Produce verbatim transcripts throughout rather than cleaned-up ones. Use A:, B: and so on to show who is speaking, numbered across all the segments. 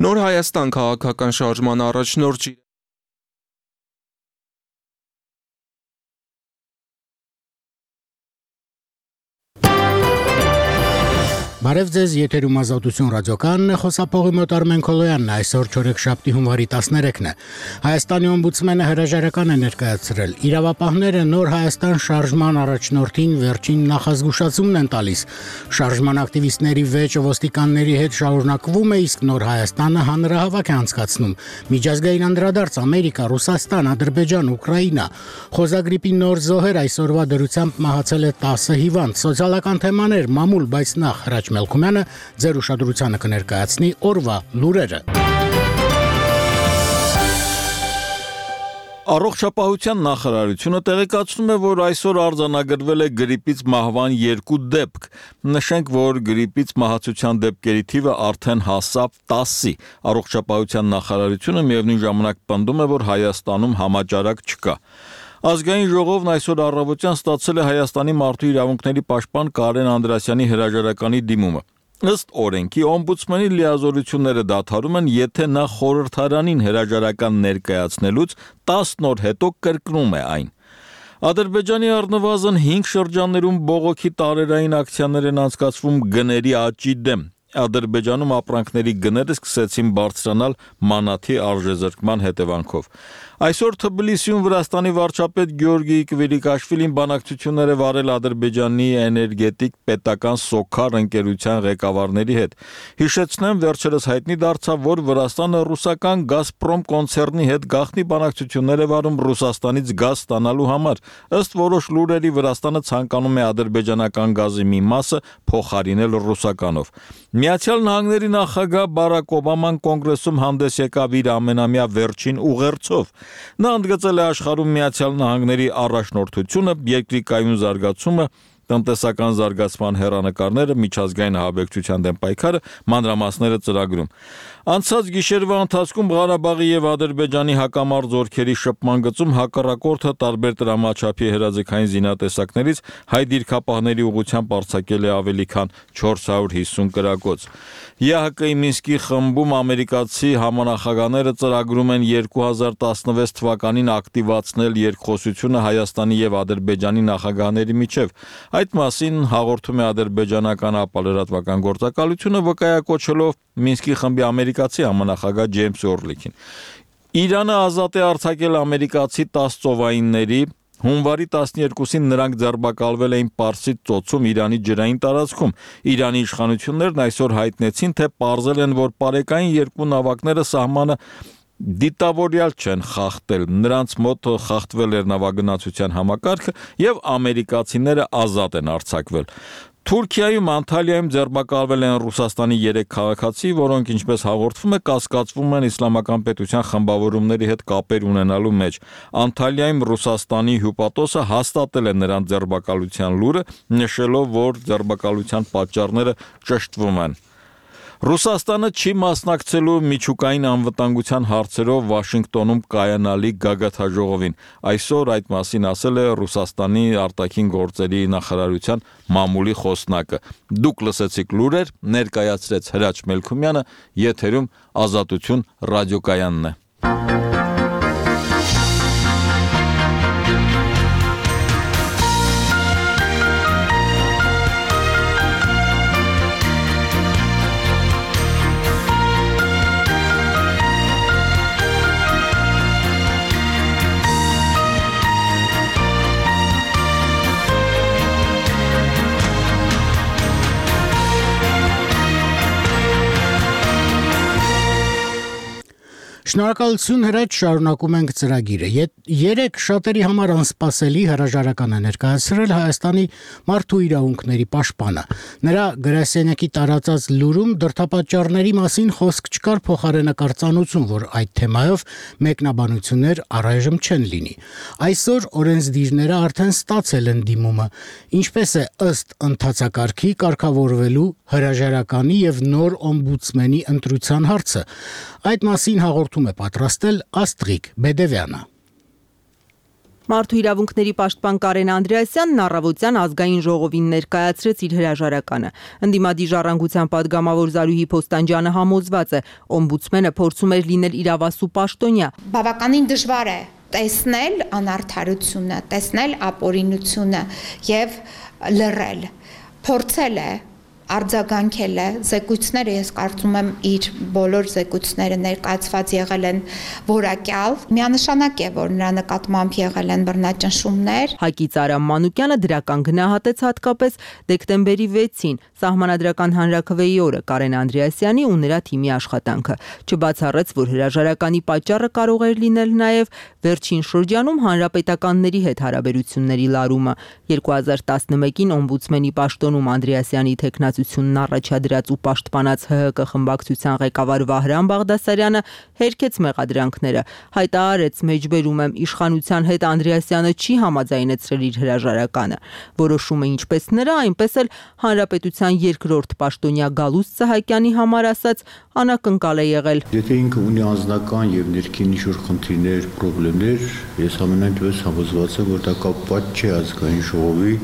A: Նոր Հայաստան քաղաքական շարժման առաջնորդ
B: Բարև ձեզ, եթերում Ազատություն ռադիոկայանն է, խոսափողի մոտ Արմեն Քոլոյանն է, այսօր չորեքշաբթի հունվարի տասներեքն է։ Հայաստանի օմբուդսմենը հրաժարական է ներկայացրել։ Իրավապահները նոր Հայաստան շարժման առաջնորդին վերջին նախազգուշացումն են տալիս։ Շարժման ակտիվիստների վեճը ոստիկանների հետ շարունակվում է, իսկ նոր Հայաստանը հանրահավաք է անցկացնում։ Միջազգային անդրադարձ Ամերիկա, Ռուսաստան, Ադրբեջան, Ուկրաինա։ Խոզագրիպի նոր զոհեր այսօրվա դրությամբ մահացել է տասը հիվանդ։ Սոցիալական թեմաներ, մամուլ, բայց նախ Հրաչ Մելքումյանը ձեր ուշադրությանը կներկայացնի օրվա լուրերը։
C: Առողջապահության նախարարությունը տեղեկացնում է, որ այսօր արձանագրվել է գրիպից մահվան երկու դեպք։ Նշենք, որ գրիպից մահացության դեպքերի թիվը արդեն հասավ տասի։ Առողջապահության նախարարությունը միևնույն ժամանակ պնդում է, որ Հայաստանում համաճարակ չկա։ Ազգային ժողովն այսօր առավոտյան ստացել է Հայաստանի մարդու իրավունքների պաշտպան Կարեն Անդրասյանի հրաժարականի դիմումը։ Ըստ օրենքի օմբուդսմենի լիազորությունները դադարում են, եթե նա խորհրդարանին հրաժարական ներկայացնելուց տասն օր հետո կրկնում է այն։ Ադրբեջանի առնվազն հինգ շրջաններում բողոքի տարերային ակցիաներ են անցկացվում գների աճի դեմ։ Ադրբեջանում ապրանքների գները սկսեցին բարձրանալ մանաթի արժեզրկման հետևանքով։ Այսօր Թբիլիսիում Վրաստանի վարչապետ Գյորգի Կվիրիկաշվիլին բանակցություններ է վարել Ադրբեջանի էներգետիկ պետական Սոքար ընկերության ղեկավարների հետ։ Հիշեցնեմ, վերջերս հայտնի դարձավ, որ Վրաստանը ռուսական Գազպրոմ կոնցեռնի հետ գաղտնի բանակցություններ է վարում Ռուսաստանից գազ ստանալու համար։ Ըստ որոշ լուրերի Վրաստանը ցանկանում է ադրբեջանական գազի մի մասը փոխարինել ռուսականով։ Միացյալ Նահանգների նախագահ Բարակ Օբաման կոնգրեսում հանդես եկավ իր ամենամյա վերջին ուղերձով։ Նա ընդգծել է աշխարհում Միացյալ Նահանգների առաջնորդությունը, երկրի կայուն զարգացումը, տնտեսական զարգացման հեռանկարները, միջազգային ահաբեկչության դեմ պայքարը, մանրամասները ծրագրում։ Անցած գիշերվա ընթացքում Ղարաբաղի եւ Ադրբեջանի հակամարտ զորքերի շփման գծում հակառակորդը տարբեր տրամաչափի հրաձգային զինատեսակներից հայ դիրքապահների ուղղությամբ արձակել է ավելի քան չորս հարյուր հիսուն կրակոց։ ԵԱՀԿ-ի Մինսկի խմբում ամերիկացի համանախագահները ծրագրում են երկու հազար տասնվեց թվականին ակտիվացնել երկխոսությունը Հայաստանի եւ Ադրբեջանի նախագահների միջև։ Այդ մասին հաղորդում է ադրբեջանական ապալրատվական գործակալությունը, վկայակոչելով Մինսկի խմբի ամերիկացի համանախագահ Ջեյմս Օրլիքին։ Իրանը ազատ է արձակել ամերիկացի տասը ծովայինների։ Հունվարի տասներկուսին նրանք ձերբակալվել էին Պարսից ծոցում Իրանի ջրային տարածքում։ Իրանի իշխանություններն այսօր հայտնեցին, թե պարզել են, որ պարեկային երկու նավակները սահմանը դիտավորյալ չեն խախտել, նրանց մոտ խախտվել էր նավագնացության համակարգը եւ ամերիկացիները ազատ են արձակվել։ Թուրքիայում Անտալիայում ձերբակալվել են Ռուսաստանի երեք քաղաքացի, որոնք, ինչպես հաղորդվում է, կասկածվում են իսլամական պետության խմբավորումների հետ կապեր ունենալու մեջ։ Անտալիայում Ռուսաստանի հյուպատոսը հաստատել է նրանց ձերբակալության լուրը, նշելով, որ ձերբակալության պատճառները ճշտվում են։ Ռուսաստանը չի մասնակցելու միջուկային անվտանգության հարցերով Վաշինգտոնում կայանալի գագաթաժողովին։ Այսօր այդ մասին ասել է Ռուսաստանի արտաքին գործերի նախարարության մամուլի խոսնակը։ Դուք լսեցիք լուրեր, ներկայացրեց Հրաչ Մելքումյանը, եթերում Ազատություն ռադիոկայանն է։
B: Շնորհակալություն Հրաչ, շարունակում ենք ծրագիրը։ Երեք շատերի համար անսպասելի հրաժարական է ներկայացրել Հայաստանի մարդու իրավունքների պաշտպանը։ Նրա գրասենյակի տարածած լուրում դրդապատճառների մասին խոսք չկար, փոխարենը կարծանություն, որ այդ թեմայով մեկնաբանություններ առայժմ չեն լինի։ Այսօր օրենսդիրները արդեն ստացել են դիմումը, ինչպես է ըստ ընթացակարգի կարգավորվելու հրաժարականի եւ նոր օմբուդսմենի ընտրության հարցը։ Այդ մասին հաղորդում է պատրաստել Աստղիկ Բեդևյանը։
D: Մարդու իրավունքների պաշտպան Կարեն Անդրեասյանն առավոտյան ազգային ժողովին ներկայացրեց իր հրաժարականը։ Ընդդիմադի ժառանգության պատգամավոր Զարուհի Փոստանջյանը համոզված է, օմբուդսմենը փորձում էր լինել իրավասու պաշտոնյա։
E: Բավականին դժվար է տեսնել անարդարությունը, տեսնել ապօրինությունը եւ լռել։ Փորձել է արձագանքել է, զեկույցները ես կարծում եմ իր բոլոր զեկույցները ներկայացված եղել են որակյալ, միանշանակ է, որ նրա նկատմամբ եղել են բռնաճնշումներ։
D: Հակից Արամ Մանուկյանը դրական գնահատեց հատկապես դեկտեմբերի վեցին Սահմանադրական հանրաքվեի օրը Կարեն Անդրեասյանի ու նրա թիմի աշխատանքը։ Չբացառեց, որ հրաժարականի պատճառը կարող էր լինել նաև վերջին շրջանում հանրապետականների հետ հարաբերությունների լարումը։ երկու հազար տասնմեկին օմբուդսմենի պաշտոնում Անդրեասյանի թեկնածությունն առաջադրած ու պաշտպանած Հ Հ Կ խմբակցության ղեկավար Վահրամ Բաղդասարյանը հերքեց մեղադրանքները, հայտարարեց մեջբերում եմ իշխանության հետ Անդրեասյանը չի համաձայնեցրել իր հրաժարականը։ Որոշումը ինչպես նրա, այնպես էլ հանրապետության երկրորդ պաշտոնյա Գալուստ Սահակյանի համար ասած անակնկալ է եղել։
F: Եթե ինքը ունի անձնական եւ ներքին ինչ-որ խնդիրներ, խնդիրներ, ես ամենայն դեպս համոզված եմ, որ դա կապված չէ ազգային ժողովի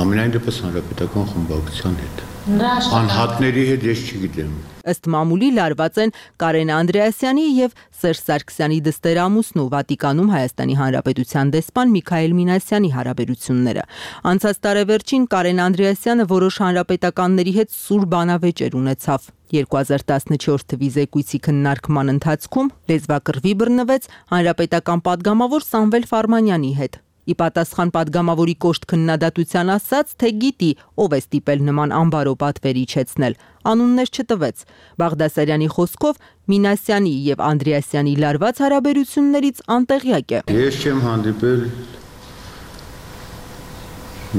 F: ամենայն դեպս հանրապետական խմբակցության հետ։ Անհատների հետ ես չգիտեմ։
D: Ըստ մամուլի լարված են Կարեն Անդրեասյանի եւ Սերժ Սարգսյանի դստերամուսն ու Վատիկանում Հայաստանի Հանրապետության դեսպան Միքայել Մինասյանի հարաբերությունները։ Անցած տարեվերջին Կարեն Անդրեասյանը որոշ հանրապետականների հետ սուր բանավեճեր ունեցավ։ երկու հազար տասնչորս թվականի զեկույցի քննարկման ընթացքում լեզվակռվի բռնվեց հանրապետական падգամավոր Սամվել Ֆարմանյանի հետ։ Ի պատասխան падգամավորի կոշտ քննադատության ասաց, թե գիտի, ով է ստիպել նման անբարո պատվեր իջեցնել։ Անուններ չտվեց։ Բաղդասարյանի խոսքով Մինասյանի եւ Անդրեասյանի լարված հարաբերություններից անտեղյակ է։
F: Ես չեմ հանդիպել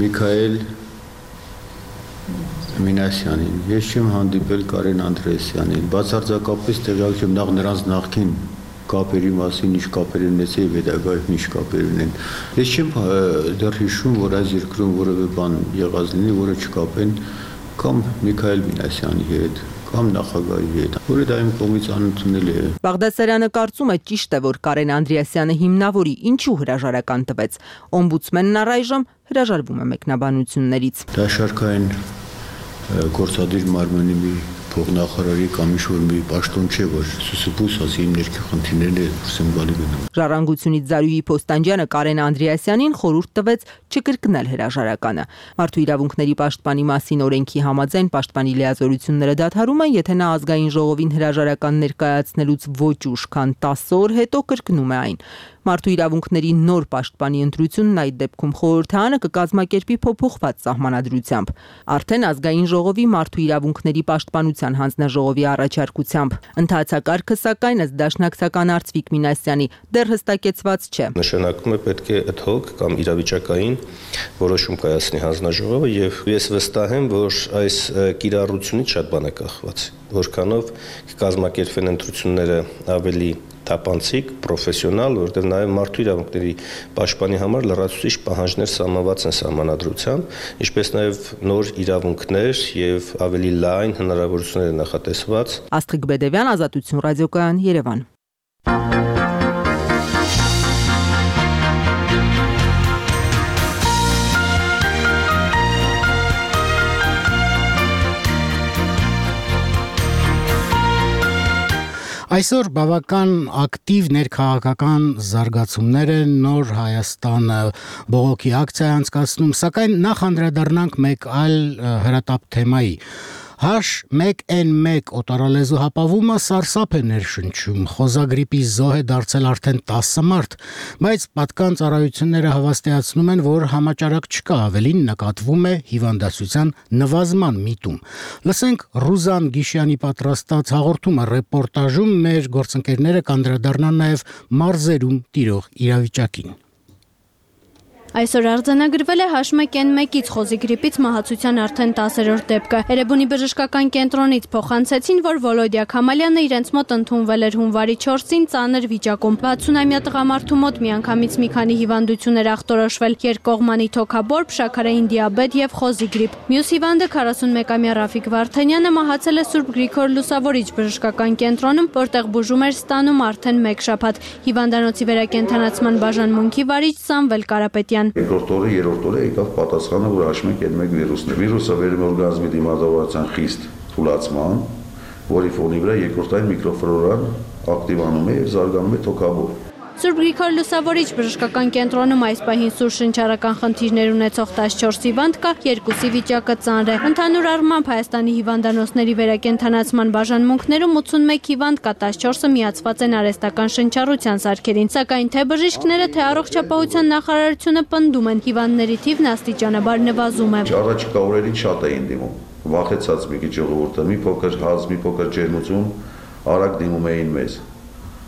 F: Միքայել Մինասյանին, ես չեմ հանդիպել Կարեն Անդրեասյանին, բացարձակապես տեղյակ չեմ նախ նրանց նախքին կապերի մասին, ինչ կապեր ունեցել եւ հետագայում ինչ կապեր ունեն։ Ես չեմ դեռ հիշում, որ այս երկրում որևէ բան եղած լինի, որը չկապեն կամ Միքայել Մինասյանի հետ, կամ նախագահի հետ, որը դա իմ կողմից անընդունել է։
D: Բաղդասարյանը կարծում է ճիշտ է, որ Կարեն Անդրեասյանը հիմնավորի, ինչու հրաժարական տվեց։ Օմբուդսմենն առայժմ հրաժարվում է մեկնաբանություններից։
F: Դա շարքային գործադիր մարմնի մի փոխնախարարի կամ ինչ-որ մի պաշտոն չէ, որ սուսուփուս ասի իմ ներքի խնդիրներն է դուրսեմ գալի գնում։
D: Ժառանգությունից Զարուհի Փոստանջյանը Կարեն Անդրեասյանին խորհուրդ տվեց չկրկնել հրաժարականը։ Մարդու իրավունքների պաշտպանի մասին օրենքի համաձայն պաշտպանի լիազորությունները դադարում են, եթե նա ազգային ժողովին հրաժարական ներկայացնելուց ոչ ուշ, քան տասը օր հետո կրկնում է այն։ Մարդու իրավունքների նոր պաշտպանի ընտրությունն այդ դեպքում խորհրդարանը կկազմակերպի փոփոխված սահմանադրությամբ։ Արդեն ազգային ժողովի մարդու իրավունքների պաշտպանության հանձնաժողովի առաջարկությամբ։ Ընթացակարգը սակայն ըստ դաշնակցական Արծվիկ Մինասյանի դեռ հստակեցված չէ։
G: Նշանակում է պետք է ad hoc կամ իրավիճակային որոշում կայացնի հանձնաժողովը եւ ես վստահ եմ, որ այս կիրառությունից շատ բան է կախված, որքանով կկազմակերպվեն ընտրությունները ավելի թափանցիկ, պրոֆեսիոնալ, որտեղ նաև մարդու իրավունքների պաշտպանի համար լրացուցիչ պահանջներ սահմանված են սահմանադրությամբ, ինչպես նաև նոր իրավունքներ եւ ավելի լայն հնարավորություններ նախատեսված։
D: Աստղիկ Բեդևյան, Ազատություն ռադիոկայան, Երևան։
B: Այսօր բավական ակտիվ ներքաղաքական զարգացումներ են, նոր Հայաստանը բողոքի ակցիա է անցկացնում, սակայն նախ անդրադառնանք մեկ այլ հրատապ թեմայի։ Հաշ մեկ էն մեկ օտարալեզու հապավումը սարսափ է ներշնչում, խոզագրիպի զոհ է դարձել արդեն տասը մարդ, բայց պատկան ծառայությունները հավաստիացնում են, որ համաճարակ չկա, ավելին նկատվում է հիվանդացության նվազման միտում։ Լսենք Ռուզան Գիշյանի պատրաստած հաղորդումը ռեպորտաժում մեր գործընկերները կանդրադառնան նաև մարզերում տիրող իրավիճակին։
H: Այսօր արձանագրվել է H one N one-ից խոզի գրիպից մահացության արդեն տասերորդ դեպքը։ Էրեբունի բժշկական կենտրոնից փոխանցեցին, որ Վոլոդիա Քամալյանը իրենց մոտ ընդունվել էր հունվարի չորսին ծանր վիճակում։ վաթսունամյա տղամարդու մոտ միանգամից մի քանի հիվանդություններ ախտորոշվել՝ երկկողմանի թոքաբորբ, շաքարային դիաբետ եւ խոզի գրիպ։ Մյուս հիվանդը քառասունմեկամյա Ռաֆիկ Վարդանյանը մահացել է Սուրբ Գրիգոր Լուսավորիչ բժշկական կենտրոնում, որտեղ բուժում էր ստանում արդեն մեկ շաբաթ։ Հիվանդանոցի վերակենդանացման բաժանմունքի վարիչ Սամվել Կարապետյան
I: Երկրորդ օրը, երրորդ օրը եկավ պատասխանը, որ H one N one վիրուսն է։ Վիրուսը վերում է օրգանիզմի դիմադրության խիստ թուլացման, որի ֆոնի վրա երկրորդային միկրոֆլորան ակտիվանում է եւ զարգանում է թոքաբորբ։
H: Սուրբ Գրիգոր Լուսավորիչ բժշկական կենտրոնում այս պահին սուր շնչառական խնդիրներ ունեցող տասնչորս հիվանդ կա, երկուսի վիճակը ծանր է։ Ընդհանուր առմամբ Հայաստանի հիվանդանոցների վերակենդանացման բաժանմունքներում ութսունմեկ հիվանդ կա, տասնչորսը միացված են արհեստական շնչառության սարքերին, սակայն թե բժիշկները, թե առողջապահության նախարարությունը պնդում են, հիվանդների թիվն աստիճանաբար նվազում է։
I: Առաջիկա օրերին շատ էին դիմում, վախեցած մի քիչ ժողովուրդը, մի փոքր հազ, մի փոքր ջերմություն, արագ դիմում էին մեզ։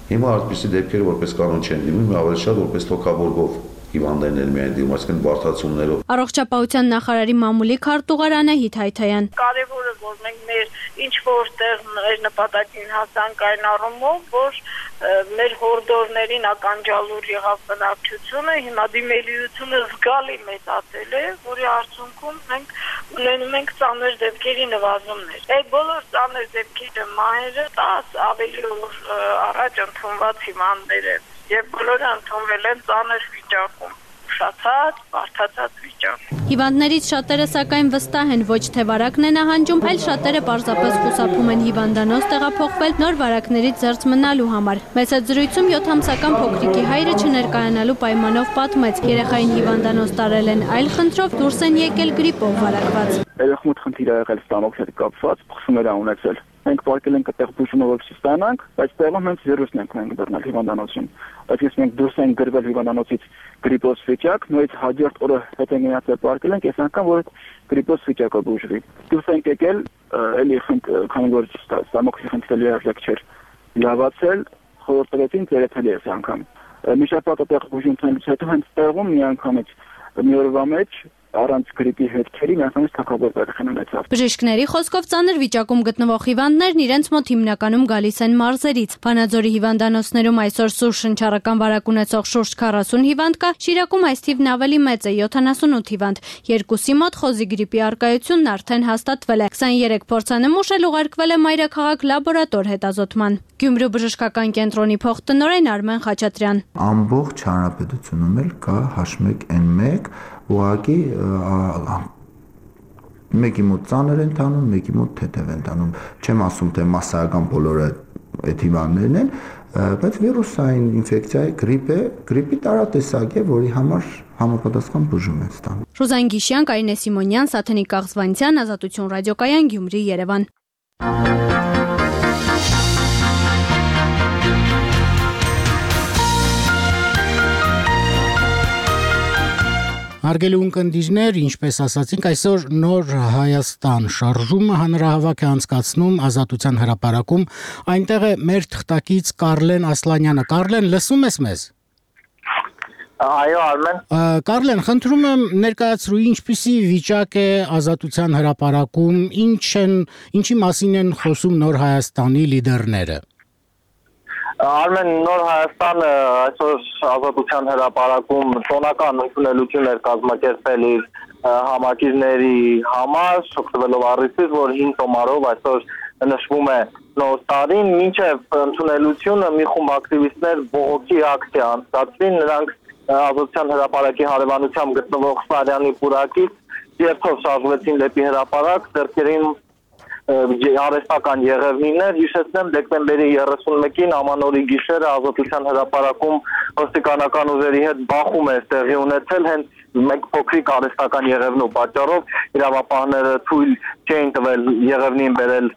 I: Հիմա այդպիսի դեպքերը որպես կանոն չեն դիմում, ավելի շատ որպես թոքաբորբով հիվանդներ միայն դիմում, այսինքն բարդացումներով։
H: Առողջապահության նախարարի մամուլի քարտուղար Անահիտ Հայթայան։
J: Կարևորը որ մենք մեր ինչ որտեղ մեր նպատակին հասանք այն առումով, որ մեր հորդորներին ականջալուր եղավ բնակչությունը, հիմա դիմելիությունը զգալի մեծացել է, որի արդյունքում մենք ունենում ենք ծանր դեպքերի նվազումներ։ Այդ բոլոր ծանր դեպքերը մահերը տաս ավելի օր առաջ ընդունված հիվանդներ են, եւ բոլորը ընդունվել են ծանր վիճակում, ուշացած, բարդացած վիճակում։
H: Հիվանդներից շատերը սակայն վստահ են, ոչ թե վարակն է նահանջում, այլ շատերը պարզապես խուսափում են հիվանդանոց տեղափոխվել նոր վարակներից զերծ մնալու համար։ Մեծ զրույցում յոթամսական փոքրիկի հայրը չներկայանալու պայմանով պատմեց, երեխային հիվանդանոց տարել են այլ խնդրով, դուրս են եկել գրիպով վարակված։
K: Երեխմուտ խնդիր ա եղել ստամոքս հետ կապված, փխսումներ ա ունեցել։ Մենք պարկել ենք այդտեղ բուժումը որպեսզի ստանանք, բայց տեղում հենց վիրուսն ենք մենք դառնալ հիվանդանոցին։ Այսինքն մենք դուրս ենք գրվել հիվանդանոցից գրիպոզ վիճակ, նույնիսկ հաջորդ օրը հետ ենք գնացել պարկել ենք, այս անգամ որ գրիպոզ վիճակը բուժվի։ Դուրս ենք եկել, էլի քանի որ ստամոքսի խնդիրը լիարժեք չէր լավացել, խորհուրդ տվեցին ծերեփելի այս անգամ։ Մի շաբաթ այդտեղ բուժում ցանից հետո հենց տեղում մի անգամից մի օրվա մեջ առանց գրիպի հետքերի միանգամից թոքաբորբ երեխան ունեցավ։
H: Բժիշկների խոսքով ծանր վիճակում գտնվող հիվանդներն իրենց մոտ հիմնականում գալիս են մարզերից։ Վանաձորի հիվանդանոցներում այսօր սուր շնչառական վարակ ունեցող շուրջ քառասուն հիվանդ կա, Շիրակում այս թիվն ավելի մեծ է՝ յոթանասունութ հիվանդ։ Երկուսի մոտ խոզի գրիպի առկայությունն արդեն հաստատվել է։ քսաներեք փորձանմուշ էլ ուղարկվել է մայրաքաղաք լաբորատոր հետազոտման։ Գյումրու բժշկական կենտրոնի փոխտնօրեն Արմեն Խաչատրյան։
L: Ամբողջ հանրապետությունում էլ կա H one N one, ուղղակի մեկի մոտ ծանր են տանում, մեկի մոտ թեթև են տանում։ Չեմ ասում, թե մասսայական բոլորը այդ հիվանդներն են, բայց վիրուսային ինֆեկցիա է, գրիպ է, գրիպի տարատեսակ է, որի համար համապատասխան բուժում են ստանում։
H: Ռուզան Գիշյան, Կարինե Սիմոնյան, Սաթենիկ Աղզվանցյան, Ազատություն ռադիոկայան, Գյումրի, Երևան։
B: Հարգելի ունկնդիրներ, ինչպես ասացինք, այսօր նոր Հայաստան շարժումը հանրահավաք է անցկացնում Ազատության հրապարակում։ Այնտեղ է մեր թղթակից Կարլեն Ասլանյանը։ Կարլեն, լսում ես մեզ։
M: Այո, Արմեն։
B: Կարլեն, խնդրում եմ ներկայացրու ինչպիսի վիճակ է Ազատության հրապարակում, ինչ են, ինչի մասին են խոսում նոր Հայաստանի լիդերները։
M: Արմեն, նոր Հայաստանը այսօր Ազատության հրապարակում տոնական ընդունելություն էր կազմակերպել իր համակիրների համար, շփվելով առիթից, որ հինգ տոմարով այսօր նշվում է նոր տարին, մինչև ընդունելությունը մի խումբ ակտիվիստներ բողոքի ակցիա անցկացրին, նրանք Ազատության հրապարակի հարևանությամբ գտնվող Սարյանի պուրակից երթով շարժվեցին դեպի հրապարակ, ձեռքերին արհեստական եղևնիներ, հիշեցնեմ դեկտեմբերի երեսունմեկին ամանորի գիշերը Ազատության հրապարակում ոստիկանական ուժերի հետ բախում է տեղի ունեցել, հենց մեկ փոքրիկ արհեստական եղևնու պատճառով իրավապահները թույլ չէին տվել եղևնին բերել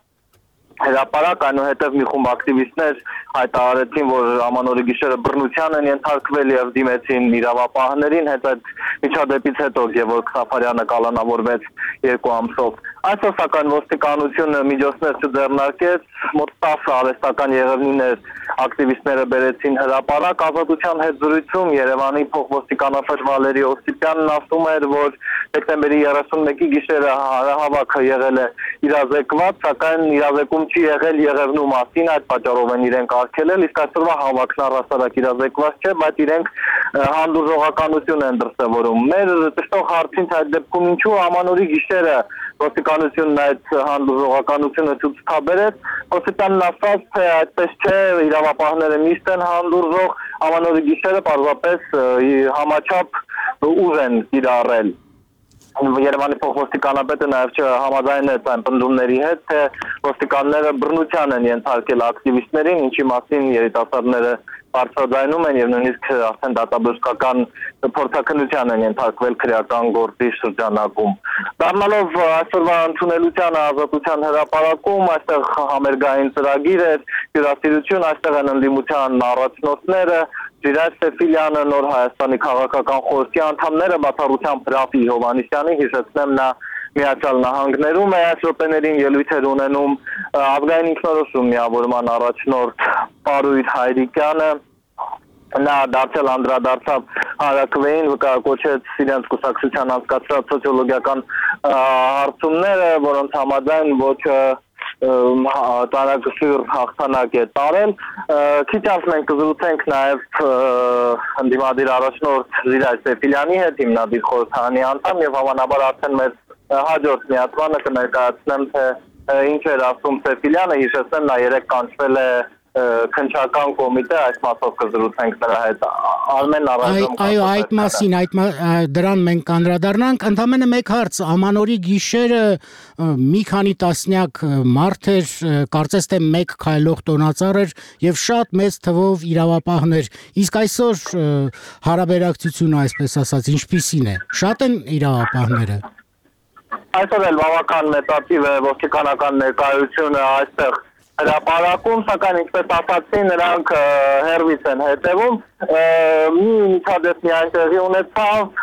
M: հրապարակ, այնուհետև մի խումբ ակտիվիստներ հայտարարեցին, որ ամանորի գիշերը բռնության են ենթարկվել եւ դիմեցին իրավապահներին, հենց այդ միջադեպից հետո Գևորգ Սաֆարյանը կալանավորվեց երկու ամսով։ Այսօր սակայն ոստիկանությունը միջոցներ չձեռնարկեց, մոտ տասը արհեստական եղևնիներ ակտիվիստները բերեցին հրապարակ ազատության հետ զրույցում Երևանի փոխոստիկանապետ Վալերի Օսիպյանն ասում էր, որ դեկտեմբերի երեսունմեկի գիշերը հանրահավաքը եղել է իրազեկված, սակայն իրազեկում չի եղել եղևնու մասին, այդ պատճառով են իրենք արգելել, իսկ այսօրվա հավաքն առհասարակ իրազեկված չէ, բայց իրենք հանդուրժողականություն են դրսևորում։ Մեր ճշտող հարցին այդ դեպքում ինչու ամանորի գիշերը ոստիկանությունն այդ հանդուրժողականությունը ցույց տաբերեց, Օսիպյանն ասաց, թե այդպես չէ, իրավապահները միշտ են հանդուրժող, ամանորի գիշերը պարզապես համաչափ ուժ են կիրառել։ Երևանի փոխոստիկանապետը նաև չհամաձայնեց այն պնդումների հետ, թե ոստիկանները բռնության են ենթարկել ակտիվիստներին, ինչի մասին երիտասարդները բարձրաձայնում են եւ նույնիսկ արդեն դատաբժշկական փորձաքննության են ենթարկվել քրեական գործի շրջանակում։ Դառնալով այսօրվա ընդունելության ազատության հրապարակում, այստեղ համերգային ծրագիր էր, հյուրասիրություն, այստեղ են ընդդիմության առաջնորդները, Ժիրայր Սեֆիլյանը, Նոր Հայաստանի քաղաքական խորհրդի անդամները, բացառությամբ Ռաֆի Հովհաննիսյանի, հիշեցնեմ, նա Միացյալ Նահանգներում է այս րոպեներին ելույթ էր ունենում ազգային ինքնորոշում միավորման առաջնորդ Պարույր Հայրիկյանը, նա դարձել անդրադարձավ հանրաքվեին, կոչեց իրենց կուսակցության անցկացրած սոցիոլոգիական հարցումները, որոնց համաձայն ոչ տարագշուր հաղթանակ է տարել։ Քիչ անց մենք կզրուցենք նաև ընդդիմադիր առաջնորդ Ժիրայր Սեֆիլյանի հետ, հիմնադիր խորհրդարանի անդամ, եւ հավանաբար արդեն մեր հաջորդ միացմանը կներկայացնեմ, թե ինչ էր ասում Սեֆիլյանը, հիշեցնեմ, նա երեք կանչվել է քննչական կոմիտե, այս մասով կզրուցենք նրա հետ։ Արմեն առայժմ
B: Այո, այդ մասին, այդ դրան մենք կանդրադառնանք, ընդամենը մեկ հարց, ամանորի գիշերը մի քանի տասնյակ մարդ էր, կարծես թե մեկ քայլող տոնածառ էր եւ շատ մեծ թվով իրավապահներ, իսկ այսօր հարաբերակցությունը, այսպես ասած, ինչպիսին է, շատ են իրավապահները։
M: Այսօր էլ բավական մեծատիվ է ոստիկանական ներկայությունը այստեղ հրապարակում, սակայն ինչպես ասացի, նրանք հեռվից են հետևում, մի միջադեպ միայն տեղի ունեցավ,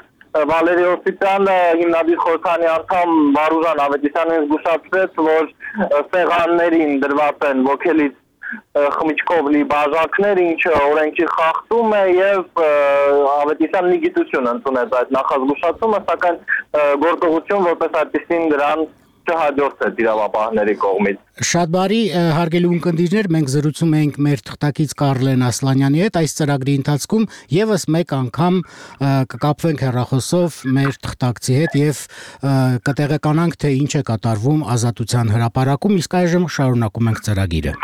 M: Վալերի Օսիպյանը, հիմնադիր խորհրդարանի անդամ Վարուժան Ավետիսյանին զգուշացրեց, որ սեղաններին դրված են ոգելից խմիչքով լի բաժակներ, ինչը օրենքի խախտում է եւ Ավետիսյանն մի գիտություն ընդունեց այդ նախազգուշացումը, սակայն գործողություն որպես այդպեսին դրան չհաջորդեց իրավապահների կողմից։
B: Շատ բարի, հարգելի ունկնդիրներ, մենք զրուցում ենք մեր թղթակից Կարլեն Ասլանյանի հետ, այս ծրագրի ընթացքում եւս մեկ անգամ կկապվենք հեռախոսով մեր թղթակցի հետ եւ կտեղեկանանք, թե ինչ է կատարվում ազատության հրապարակում, իսկ այժմ շարունակում ենք ծրագիրը։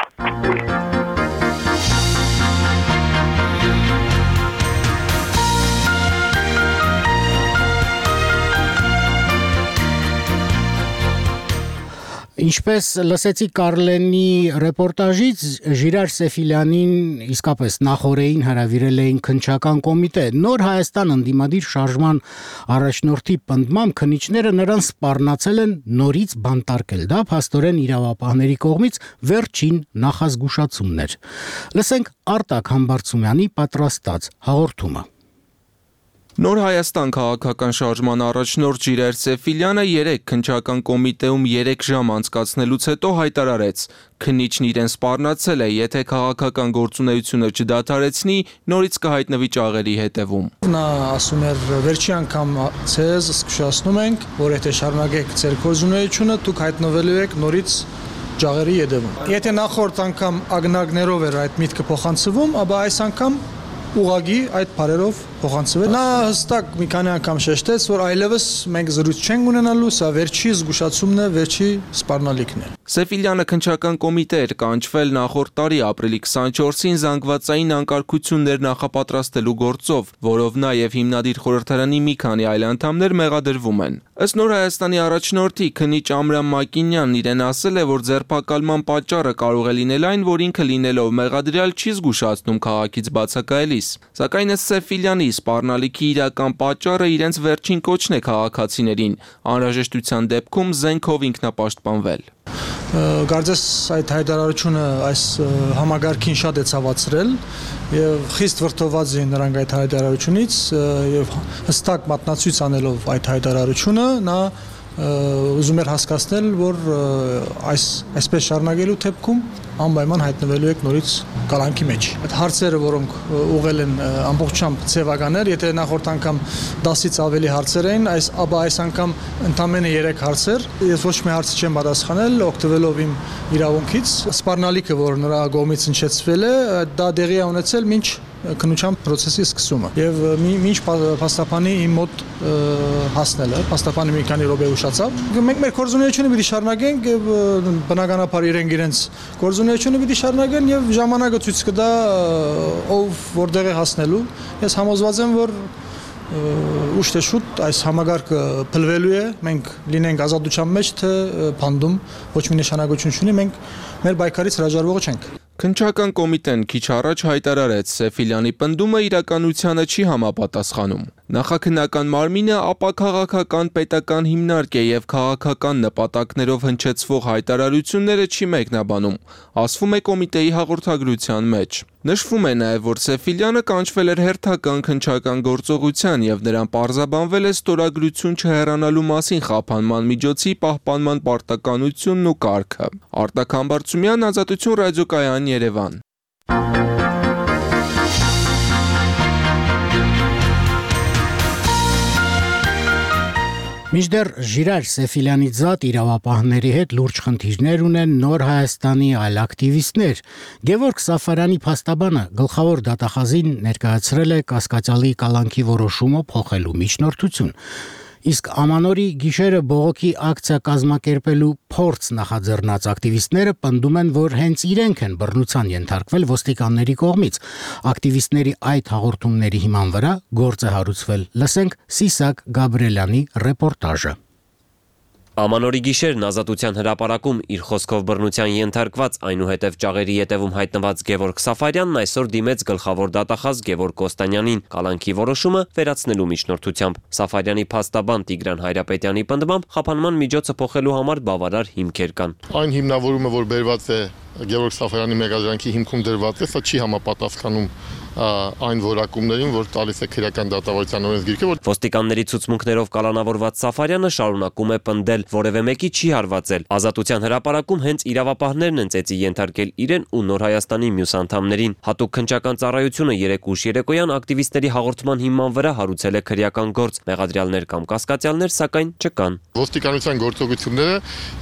B: Ինչպես լսեցի Կարլենի ռեպորտաժից, Ժիրայր Սեֆիլյանին իսկապես նախորդին հրավիրել էին քննչական կոմիտե։ Նոր Հայաստան ընդդիմադիր շարժման առաջնորդի պնդմամբ քննիչները նրան սպառնացել են նորից բանտարկել։ Դա փաստորեն իրավապահների կողմից վերջին նախազգուշացումն էր։ Լսենք Արտակ Համբարձումյանի պատրաստած հաղորդումը։
A: Նոր Հայաստան քաղաքական շարժման առաջնորդ Ժիրայր Սեֆիլյանը երեք քննչական կոմիտեում երեք ժամ անցկացնելուց հետո հայտարարեց. քննիչն իրեն սպառնացել է, եթե քաղաքական գործունեությունը չդադարեցնի, նորից կհայտնվի ճաղերի հետևում։
N: Նա ասում էր, վերջի անգամ ցեզ զգուշացնում ենք, որ եթե շարունակեք ձեր գործունեությունը, դուք հայտնվելու եք նորից ճաղերի հետևում։ Եթե նախորդ անգամ ագնագներով էր այդ միտքը փոխանցվում, ապա այս անգամ ուղղակի այդ բարերով փոխանցվել։ Նա հստակ մի քանի անգամ շեշտեց, որ այլևս մենք զրույց չենք ունենալու, սա վերջի զգուշացումն է, վերջի սպառնալիքն է։
A: Սեֆիլյանը քննչական կոմիտե էր կանչվել նախորդ տարի ապրիլի քսանչորսին զանգվածային անկարգություններ նախապատրաստելու գործով, որով նա եւ հիմնադիր խորհրդարանի մի քանի այլ անդամներ մեղադրվում են։ Ըստ Նոր Հայաստանի առաջնորդի քննիչ Ամրան Մակինյանն իրեն ասել է, որ ձերբակալման պատճառը կարող է լինել այն, որ ինքը լինելով մեղադրյալ չի զգուշացնում քաղաքից բացակայելիս։ Սակայն ըստ Սեֆիլյանի սպառնալիքի իրական պատճառը իրենց վերջին կոչն է քաղաքացիներին, անհրաժեշտության դեպքում զենքով ինքնապաշտպանվել։
N: Կարծես այդ հայտարարությունը այս համագարքին շատ է ցավացրել եւ խիստ վրդոված էին նրանք այդ հայտարարությունից եւ հստակ մատնացույց անելով այդ հայտարարությունը նա ուզում էր հասկացնել, որ այս այսպես շարունակելու դեպքում անպայման հայտնվելու եք նորից կալանքի մեջ։ Այդ հարցերը, որոնք ուղղել են ամբողջությամբ ցեվականներ, եթե նախորդ անգամ դասից ավելի հարցեր էին, այս ապա այս անգամ ընդամենը երեք հարցեր։ Ես ոչ մի հարց չեմ պատասխանել, օգտվելով իմ իրավունքից։ Սպառնալիքը, որ նրա կողմից հնչեցվել է, դա դեղի է ունեցել մինչ քննության process-ի սկսումը եւ մինչ փաստաբանի իմ մոտ հասնելը փաստաբանը մի քանի րոպե ուշացավ մենք մեր գործունեությունը պիտի շարունակենք եւ բնականաբար իրենք իրենց գործունեությունը պիտի շարունակեն եւ ժամանակը ցույց կտա ով որտեղ է հասնելու ես համոզված եմ որ ուշ թե շուտ այս համագարկը փլվելու է մենք լինենք ազատության մեջ թե փանդում ոչ մի նշանակություն չունի մենք մեր բայկարից հրաժարվողը չենք
A: Քննչական կոմիտեն քիչ առաջ հայտարարեց Սեֆիլյանի պնդումը իրականությանը չի համապատասխանում։ Նախաքննական մարմինը ապաքաղաքական պետական հիմնարկ է եւ քաղաքական նպատակներով հնչեցվող հայտարարությունները չի մեկնաբանում, ասվում է կոմիտեի հաղորդագրության մեջ։ Նշվում է նաև, որ Սեֆիլյանը կանչվել էր հերթական քննչական գործողության եւ նրան պարզաբանվել է ստորագրություն չհեռանալու մասին խափանման միջոցի պահպանման պարտականությունն ու կարգը։ Արտակ Համբարձումյան, Ազատություն ռադիոկայան, Երևան։
B: Մինչդեռ Ժիրայր Սեֆիլյանի զատ իրավապահների հետ լուրջ խնդիրներ ունեն Նոր Հայաստանի այլ ակտիվիստներ։ Գևորգ Սաֆարյանի փաստաբանը գլխավոր դատախազին ներկայացրել է կասկածյալի կալանքի որոշումը փոխելու միջնորդություն։ Իսկ ամանորի գիշերը բողոքի ակցիա կազմակերպելու փորձ նախաձեռնած ակտիվիստները պնդում են, որ հենց իրենք են բռնության ենթարկվել ոստիկանների կողմից։ Ակտիվիստների այդ հաղորդումների հիման վրա գործ է հարուցվել։ Լսենք Սիսակ Գաբրելյանի ռեպորտաժը։
O: Ամանորի գիշերն Ազատության հրապարակում իր խոսքով բռնության ենթարկված այնուհետև ճաղերի ետևում հայտնված Գևորգ Սաֆարյանն այսօր դիմեց գլխավոր դատախազ Գևորգ Կոստանյանին կալանքի որոշումը վերացնելու միջնորդությամբ։ Սաֆարյանի փաստաբան Տիգրան Հայրապետյանի պնդմամբ խափանման միջոցը փոխելու համար բավարար հիմքեր կան։
P: Այն հիմնավորումը, որ բերված է Գևորգ Սաֆարյանի մեղադրանքի հիմքում դրված է, սա չի համապատասխանում այն որակումներին, որ տալիս է քրեական դատավարության օրենսգիրքը, որ
O: ոստիկանների ցուցմունքներով կալանավորված Սաֆարյանը շարունակում է պնդել, որևէ մեկի չի հարվածել։ Ազատության հրապարակում հենց իրավապահներն են ծեծի ենթարկել իրեն ու Նոր Հայաստանի մյուս անդամներին։ Հատուկ քննչական ծառայությունը երեկ ուշ երեկոյան ակտիվիստների հաղորդման հիման վրա հարուցել է քրեական գործ։ Մեղադրյալներ կամ կասկածյալներ սակայն չկան։
P: Ոստիկանության գործողությունները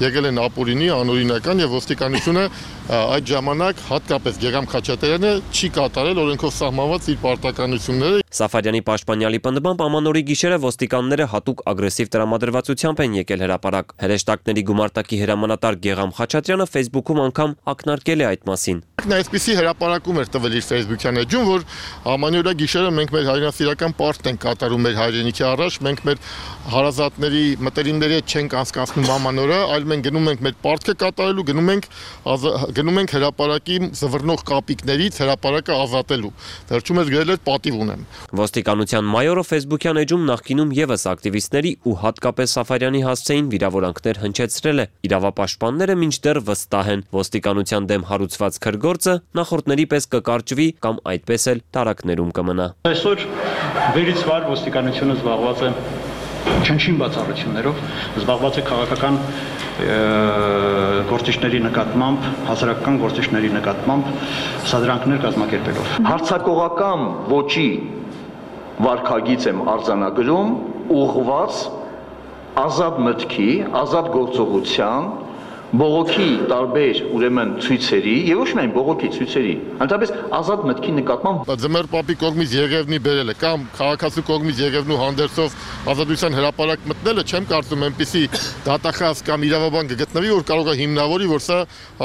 P: եկել են ապօրինի, անօրինական եւ ոստիկանությունը այդ ժամանակ հատկապես Գեգամ Խաչատրյանը չի կատարել օրենքով սահմանված իր պարտականությունները։
O: Սաֆարյանի պաշտպանյալի պնդմամբ ամանորի գիշերը ոստիկանները հատուկ ագրեսիվ տրամադրվածությամբ են եկել հրապարակ։ Հրեշտակների գումարտակի հրամանատար Գեգամ Խաչատրյանը Facebook-ում անգամ ակնարկել է այդ մասին։
P: Նա այսպիսի հրապարակում էր տվել իր Facebook-յան էջում, որ ամանորյա գիշերը մենք մեր հայրենասիրական պարտք ենք կատարում մեր հայրենիքի առաջ, մենք մեր հարազատների մտերիմների հետ չենք անցկացնում ամանորը, այլ մենք գնում ենք մեր պարտքը կատարելու, գնում ենք գնում ենք հրապարակի զվռնող կապիկներից հրապարակը ազատելու։ Վերջում ես գրել էր պատիվ ունեմ։
O: Ոստիկանության մայորը Facebook-յան էջում նախկինում եւս ակտիվիստների ու հատկապես Սաֆարյանի հասցեին վիրավորանքներ հնչեցրել է։ Իրավապաշտպանները մինչդեռ վստահ են, ոստիկանության դեմ հարուցված քրգործը նախորդների պես կկարճվի կամ այդպես էլ տարակներում կմնա։
Q: Այսօր վերից վար ոստիկանությունը զբաղված է չնչին բացառություններով, զբաղված է քաղաքական գործիչների նկատմամբ, հասարակական գործիչների նկատմամբ սադրանքներ կազմակերպելով։
R: Հարցակողական ոճի վարքագիծ եմ արձանագրում ուղղված ազատ մտքի, ազատ գործողության, բողոքի տարբեր ուրեմն ցույցերի եւ ոչ միայն բողոքի ցույցերի, ընդհանրապես ազատ մտքի նկատմամբ
P: Ձմեռ պապի կողմից Եղևնի բերելը կամ քաղաքացու կողմից Եղևնու հանդերձով ազատության հրապարակ մտնելը չեմ կարծում այնպիսի դատախազ կամ իրավաբան կգտնվի, որ կարող է հիմնավորի, որ սա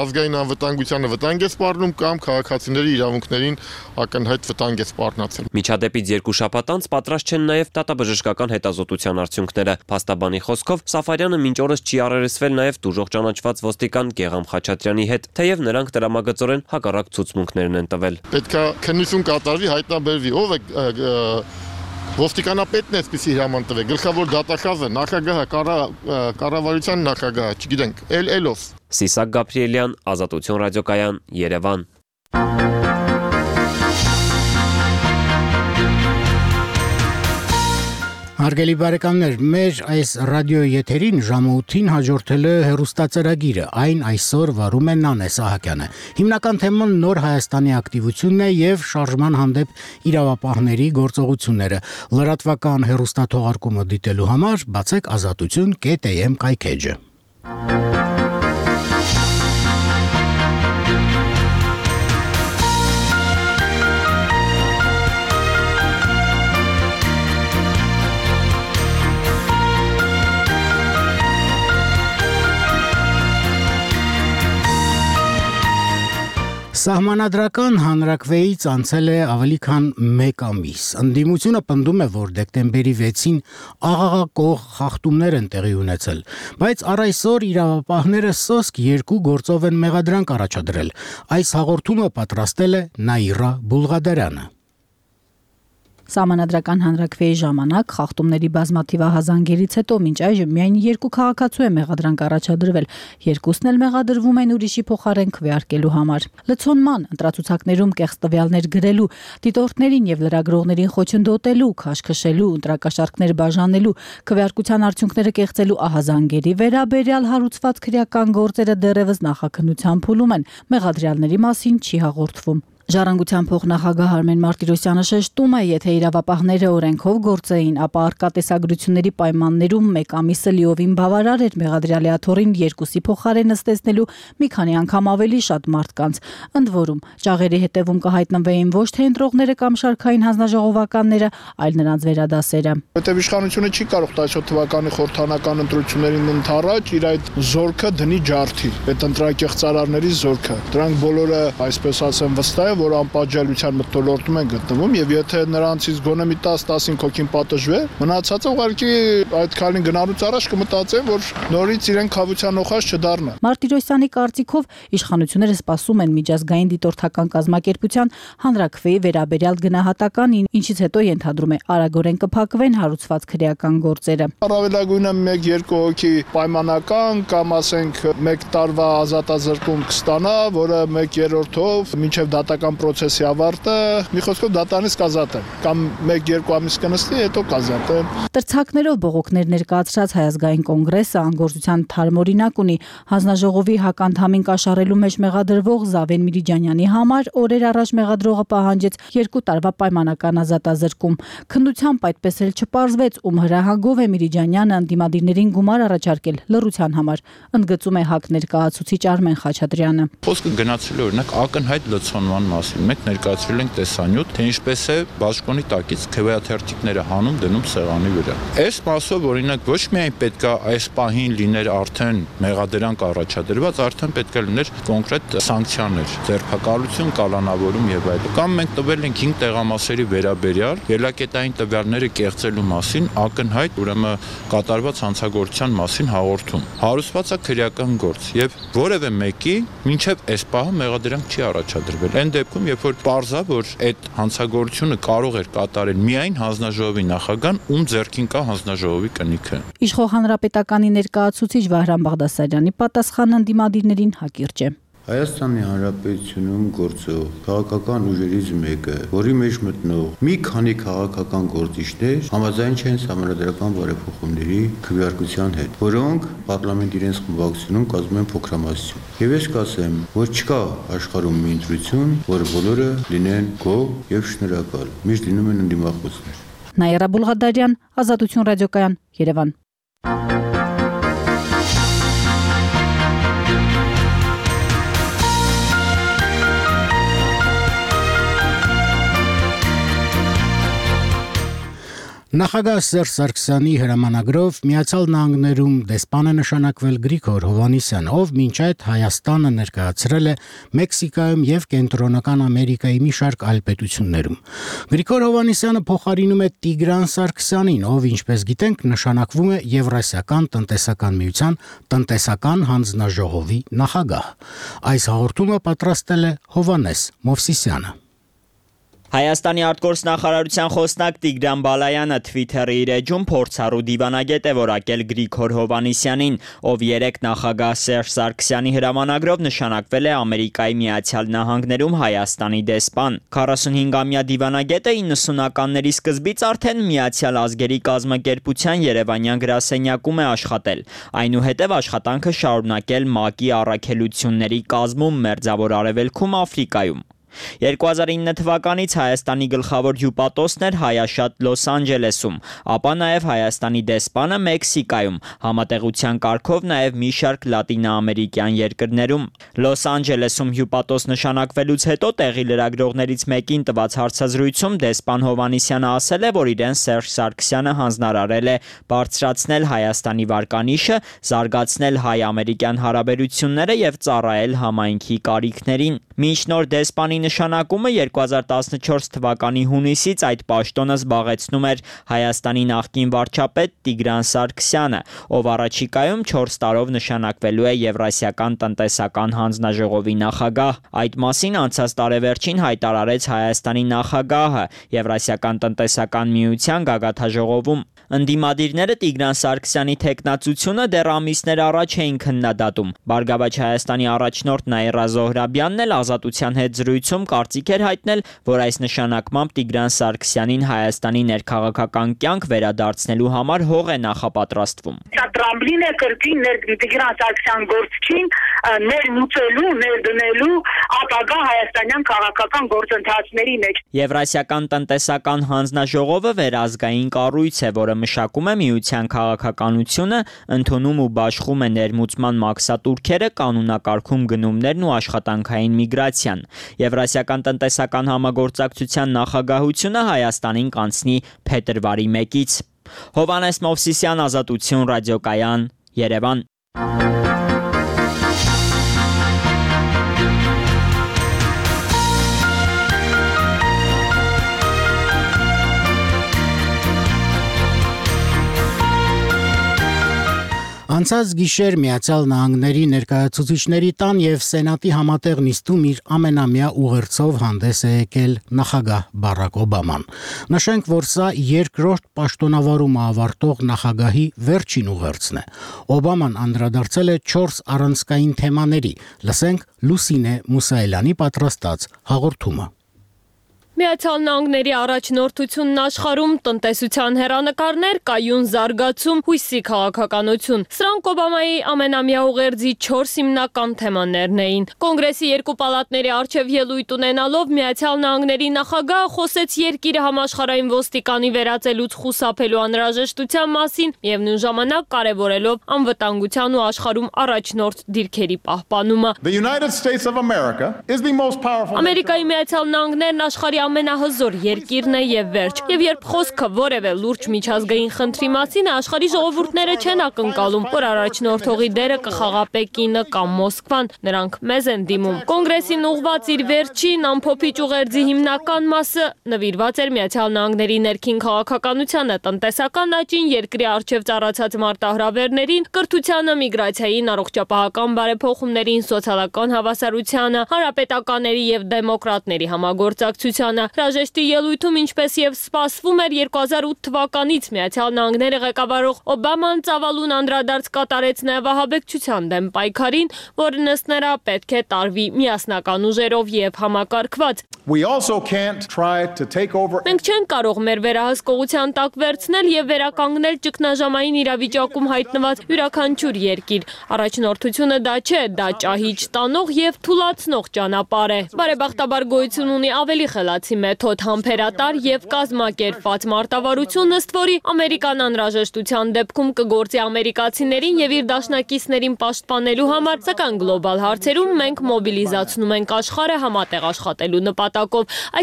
P: ազգային անվտանգությանը վտանգ է սպառնում կամ քաղաքացիների իրավունքներին ակնհայտ վտանգ է սպառնացել։
O: Միջադեպից երկու շաբաթ անց պատրաստ չեն նաև դատաբժշկական հետազոտության արդյունքները։ Փաստաբանի խոսքով Սաֆարյանը մինչ օրս չի առերեսվել նաև դուժող ճանաչված ոստիկան Գեգամ Խաչատրյանի հետ, թեև նրանք տրամագծորեն հակառակ ցուցմունքներն են տվել։
P: Պետք է քննություն կատարվի, հայտնաբերվի ով է Ոստիկանապետն է այսպեսի հրաման տվել, գլխավոր դատախազը, նախագահը, կառավարության նախագահը, չգիտենք, էլ ելով։
O: Սիսակ Գաբրիելյան, Ազատություն ռադիոկայան, Երևան։
B: Հարգելի բարեկամներ, մեր այս ռադիոյի եթերին ժամը ութին հաջորդել է հեռուստածրագիրը, այն այսօր վարում է Նանե Սահակյանը։ Հիմնական թեման նոր Հայաստանի ակտիվությունն է եւ շարժման հանդեպ իրավապահների գործողությունները։ Լրատվական հեռուստաթողարկումը դիտելու համար բացեք ազատություն կետ է էմ կայքեջը։ Սահմանադրական հանրաքվեից անցել է ավելի քան մեկ ամիս։ Ընդդիմությունը պնդում է, որ դեկտեմբերի վեցին աղաղակող խախտումներ են տեղի ունեցել, բայց առ այսօր իրավապահները սոսկ երկու գործով են մեղադրանք առաջադրել։ Այս հաղորդումը պատրաստել է Նաիրա Բուլղադարյանը։
S: Սահմանադրական հանրաքվեի ժամանակ խախտումների բազմաթիվ ահազանգերից հետո մինչ այժմ միայն երկու քաղաքացու է մեղադրանք առաջադրվել, երկուսն էլ մեղադրվում են ուրիշի փոխարեն քվեարկելու համար։ Լցոնման, ընտրացուցակներում կեղծ տվյալներ գրելու, դիտորդներին եւ լրագրողներին խոչընդոտելու, քաշքշելու, ընտրակաշառքներ բաժանելու, քվեարկության արդյունքները կեղծելու ահազանգերի վերաբերյալ հարուցված քրեական գործերը դեռևս նախաքննության փուլում են, մեղադրյալների մասին չի հաղորդվում։ Ժառանգության փոխնախագահ Արմեն Մարտիրոսյանը շեշտում է, եթե իրավապահները օրենքով գործեին, ապա արկա տեսագրությունների պայմաններում մեկ ամիսը լիովին բավարար էր մեղադրյալի աթոռին երկուսի փոխարեն նստեցնելու մի քանի անգամ ավելի շատ մարդկանց։ Ընդ որում, ճաղերի հետևում կհայտնվեին ոչ թե ընտրողները կամ շարքային հանձնաժողովականները, այլ նրանց վերադասերը։
T: Որտեւ իշխանությունը չի կարող տասնյոթ թվականի խորհրդանական ընտրություններին ընդառաջ իր այդ զորքը դնի ջարդի, այդ ընտրակեղծարարների զորքը։ Դրանք բոլորը, այսպես ասեմ, վստահ որ անպատժելիության մթնոլորտում են գտնվում եւ եթե նրանցից գոնե մի տասը տասնհինգ հոգին պատժվե, մնացածը ուղղակի այդ քայլին գնալուց առաջ կմտածեն, որ նորից իրեն խավության օխած չդառնա։
S: Մարտիրոսյանի կարծիքով իշխանությունները սպասում են միջազգային դիտորդական կազմակերպության հանրաքվեի վերաբերյալ գնահատականին, ինչից հետո ենթադրում է արագորեն կփակվեն հարուցված քրեական գործերը։
T: Առավելագույնը մեկ-երկու հոգի պայմանական կամ ասենք մեկ տարվա ազատազրկում կստանա, որը մեկ երրորդով մինչև դատական պրոցեսի ավարտը մի խոսքով դատարանից կազատեն կամ մեկ-երկու ամիս կնստի, հետո կազատեն։
S: Տրցակներով բողոքներ ներկայացրած Հայազգային կոնգրեսը անգործության թարմօրինակ ունի հանձնաժողովի հականդամին կաշառելու մեջ մեղադրվող Զավեն Միրիջանյանի համար օրեր առաջ մեղադրողը պահանջեց երկու տարվա պայմանական ազատազրկում։ Քննությամբ այդպես էլ չպարզվեց, ում հրահանգով է Միրիջանյանը ընդդիմադիրներին գումար առաջարկել լռության համար, ընդգծում է ՀԱԿ ներկայացուցիչ Արմեն Խաչատրյանը։
U: Խոսքը գնացել է օրինակ ակնհայտ լցոնման մասին։ Մենք ներկայացրել ենք տեսանյութ, թե ինչպես է բաշխոնի տակից քվեաթերթիկները հանում դնում սեղանի վրա։ Այս մասով օրինակ ոչ միայն պետք է այս պահին լիներ արդեն մեղադրանք առաջադրված, արդեն պետք է լիներ կոնկրետ սանկցիաներ, ձերբակալություն, կալանավորում եւ այլն։ Կամ մենք տվել ենք հինգ տեղամասերի վերաբերյալ ելակետային տվյալները կեղծելու մասին ակնհայտ ուրեմն կատարված հանցագործության մասին հաղորդում։ Հարուցված է քրեական գործ եւ որևէ մեկի մինչեւ այս պահը մեղադրանք չի առաջադրվել։ Այն դեպքում, երբ որ պարզա, որ այդ հանցագործությունը կարող էր կատարել միայն հանձնաժողովի նախագահան, ում ձեռքին կա հանձնաժողովի կնիքը։
S: Իշխող հանրապետականի ներկայացուցիչ Վահրամ Բաղդասարյանի պատասխանը ընդդիմադիրներին հակիրճ է։
F: Հայաստանի Հանրապետությունում գործող քաղաքական ուժերից մեկը, որի մեջ մտնող մի քանի քաղաքական գործիչներ համաձայն չեն սահմանադրական բարեփոխումների քվեարկության հետ, որոնք պարլամենտ իրենց խմբակցությունում կազմում են փոքրամասնություն։ Եվ ես կասեմ, որ չկա աշխարհում մի ընտրություն, որը բոլորը լինեն գոհ եւ շնորհակալ, միշտ լինում են ընդդիմախոսներ։
S: Նաիրա Բուլղադարյան, Ազատություն ռադիոկայան, Երևան։
B: Նախագահ Սերժ Սարգսյանի հրամանագրով Միացյալ Նահանգներում դեսպան է նշանակվել Գրիգոր Հովհաննիսյան, ով մինչ այդ Հայաստանը ներկայացրել է Մեքսիկայում եւ Կենտրոնական Ամերիկայի մի շարք այլ պետություններում։ Գրիգոր Հովհաննիսյանը փոխարինում է Տիգրան Սարգսյանին, ով, ինչպես գիտենք, նշանակվում է Եվրասիական տնտեսական միության տնտեսական հանձնաժողովի նախագահ։ Այս հաղորդումը պատրաստել է Հովհաննես Մովսիսյանը։
C: Հայաստանի արտգործնախարարության խոսնակ Տիգրան Բալայանը Twitter-ի իր էջում փորձառու դիվանագետ է որակել Գրիգոր Հովհաննիսյանին, ով երեկ նախագահ Սերժ Սարգսյանի հրամանագրով նշանակվել է Ամերիկայի Միացյալ Նահանգներում Հայաստանի դեսպան։ քառասունհինգամյա դիվանագետը իննսունականների սկզբից արդեն Միացյալ Ազգերի կազմակերպության Երևանյան գրասենյակում է աշխատել, այնուհետև աշխատանքը շարունակել ՄԱԿ-ի առաքելությունների կազմում Մերձավոր Արևելքում Աֆրիկայում։ երկու հազար ինը թվականից Հայաստանի գլխավոր հյուպատոսն էր հայաշատ Լոս Անջելեսում, ապա նաև Հայաստանի դեսպանը Մեքսիկայում, համատեղության կարգով նաև մի շարք լատինաամերիկյան երկրներում։ Լոս Անջելեսում հյուպատոս նշանակվելուց հետո տեղի լրագրողներից մեկին տված հարցազրույցում դեսպան Հովհաննիսյանը ասել է, որ իրեն Սերժ Սարգսյանը հանձնարարել է բարձրացնել Հայաստանի վարկանիշը, զարգացնել հայ-ամերիկյան հարաբերությունները եւ ծառայել համայնքի կարիքներին։ Մինչ նոր դեսպանի նշանակումը երկու հազար տասնչորս թվականի հունիսից այդ պաշտոնը զբաղեցնում էր Հայաստանի նախկին վարչապետ Տիգրան Սարգսյանը, ով առաջիկայում չորս տարով նշանակվելու է Եվրասիական տնտեսական հանձնաժողովի նախագահ։ Այդ մասին անցած տարեվերջին հայտարարեց Հայաստանի նախագահը Եվրասիական տնտեսական միության գագաթնաժողովում։ Ընդդիմադիրները Տիգրան Սարգսյանի թեկնածությունը դեռ ամիսներ առաջ էին քննադատում։ Բարգավաճ Հայաստանի առաջնորդ Նաիրա Զոհրաբյանն էլ Ազատության հետ զրույցում կարծիք էր հայտնել, որ այս նշանակմամբ Տիգրան Սարգսյանին Հայաստանի ներքաղաքական կյանք վերադարձնելու համար հող է նախապատրաստվում։
V: Սա տրամբլին է կրկին Տիգրան Սարգսյան գործչին ներմուծելու, ներդնելու ապագա հայաստանյան քաղաքական գործընթացների մեջ։
C: Եվրասիական տնտեսական հանձնաժողովը վերազգային կառույց է, որը մշակում է միության քաղաքականությունը, ընդունում ու բաշխում է ներմուծման մաքսատուրքերը, կանոնակարգում գնումներն ու աշխատանքային միգրացիան։ Եվրասիական տնտեսական համագործակցության նախագահությունը Հայաստանին կանցնի փետրվարի մեկից։ Հովհաննես Մովսիսյան, Ազատություն ռադիոկայան, Երևան։
B: Անցած գիշեր Միացյալ Նահանգների ներկայացուցիչների տան եւ Սենատի համատեղ նիստում իր ամենամյա ուղերձով հանդես է եկել նախագահ Բարակ Օբաման։ Նշենք, որ սա երկրորդ պաշտոնավարումը ավարտող նախագահի վերջին ուղերձն է։ Օբաման անդրադարձել է չորս առանցքային թեմաների։ Լսենք Լուսինե Մուսայելյանի պատրաստած հաղորդումը։
W: Միացյալ Նահանգների առաջնորդությունն աշխարհում, տնտեսության հեռանկարներ, կայուն զարգացում, հույսի քաղաքականություն։ Սրանք Օբամայի ամենամյա ուղերձի չորս հիմնական թեմաներն էին։ Կոնգրեսի երկու պալատների առջև ելույթ ունենալով Միացյալ Նահանգների նախագահը խոսեց երկիրը համաշխարհային ոստիկանի վերածելուց խուսափելու անհրաժեշտության մասին եւ նույն ժամանակ կարեւորելով անվտանգության ու աշխարհում առաջնորդ դիրքերի պահպանումը։ Ամերիկայի Միացյալ Նահանգներն աշխարհի ամենահզոր երկիրն է եւ վերջ։ Եվ երբ խոսքը որևէ լուրջ միջազգային խնդրի մասին է, աշխարհի ժողովուրդները չեն ակնկալում, որ առաջնորդողի դերը կխաղա Պեկինը կամ Մոսկվան, նրանք մեզ են դիմում։ Կոնգրեսին ուղղված իր վերջին ամփոփիչ ուղերձի հիմնական մասը նվիրված էր Միացյալ Նահանգների ներքին քաղաքականությանը, տնտեսական աճին, երկրի առջև ծառացած մարտահրավերներին, կրթությանը, միգրացիային, առողջապահական բարեփոխումներին, սոցիալական հավասարությանը, հանրապետականների եւ դեմոկրատների համագործակցությանը։ Հրաժեշտի ելույթում, ինչպես եւ սպասվում էր երկու հազար ութ թվականից Միացյալ Նահանգները ղեկավարող Օբաման ծավալուն անդրադարձ կատարեց նաեւ ահաբեկչության դեմ պայքարին, որն ըստ նրա պետք է տարվի միասնական ուժերով եւ համակարգված։ Մենք չենք կարող մեր վերահսկողության տակ վերցնել եւ վերականգնել ճգնաժամային իրավիճակում հայտնված յուրաքանչյուր երկիր։ Առաջնորդությունը դա չէ, դա ճահիճ տանող եւ թուլացնող ճանապարհ է։ Բարեբախտաբար գոյություն ունի ավելի խելացի մեթոդ, համբերատար եւ կազմակերպված մարտավարություն, ըստ որի Ամերիկան անհրաժեշտության դեպքում կգործի ամերիկացիներին եւ իր դաշնակիցներին պաշտպանելու համար, սակայն գլոբալ հարցերում մենք մոբիլիզացնում ենք աշխարհը համատեղ աշխատելու նպատակով։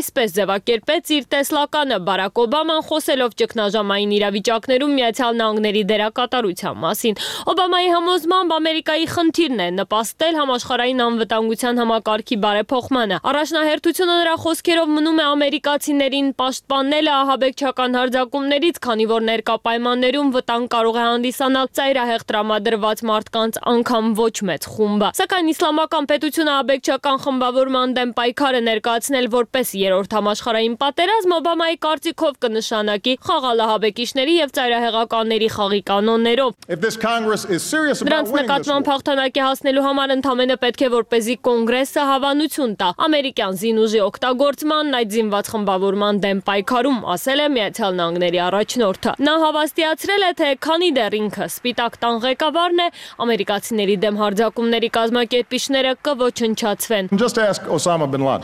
W: Այսպես ձևակերպեց իր տեսլականը Բարակ Օբաման, խոսելով ճգնաժամային իրավիճակներում Միացյալ Նահանգների դերակատարության մասին։ Օբամայի համոզմամբ Ամերիկայի խնդիրն է նպաստել համաշխարհային անվտանգության համակարգի բարեփոխմանը։ Առաջնահերթությունը նրա խոսքերով մնում հորդորանում է ամերիկացիներին պաշտպանելը ահաբեկչական հարձակումներից, քանի որ ներկա պայմաններում վտանգ կարող է հանդիսանալ ծայրահեղ տրամադրված մարդկանց անգամ ոչ մեծ խումբը։ Սակայն իսլամական պետությունը ահաբեկչական խմբավորման դեմ պայքարը ներկայացնել որպես երրորդ համաշխարհային պատերազմ Օբամայի կարծիքով կնշանակի խաղալ ահաբեկիչների եւ ծայրահեղականների խաղի կանոններով։ Դրանց նկատմամբ հաղթանակի հասնելու համար ընդամենը պետք է որպեսզի կոնգրեսը հավանություն տա ամերիկյան զինուժի օգտագործման այդ զինված խմբավորման դեմ պայքարում, ասել է Միացյալ Նահանգների առաջնորդը։ Նա հավաստիացրել է, թե քանի դեռ ինքը Սպիտակ տան ղեկավարն է, ամերիկացիների դեմ հարձակումների կազմակերպիչները կոչնչացվեն։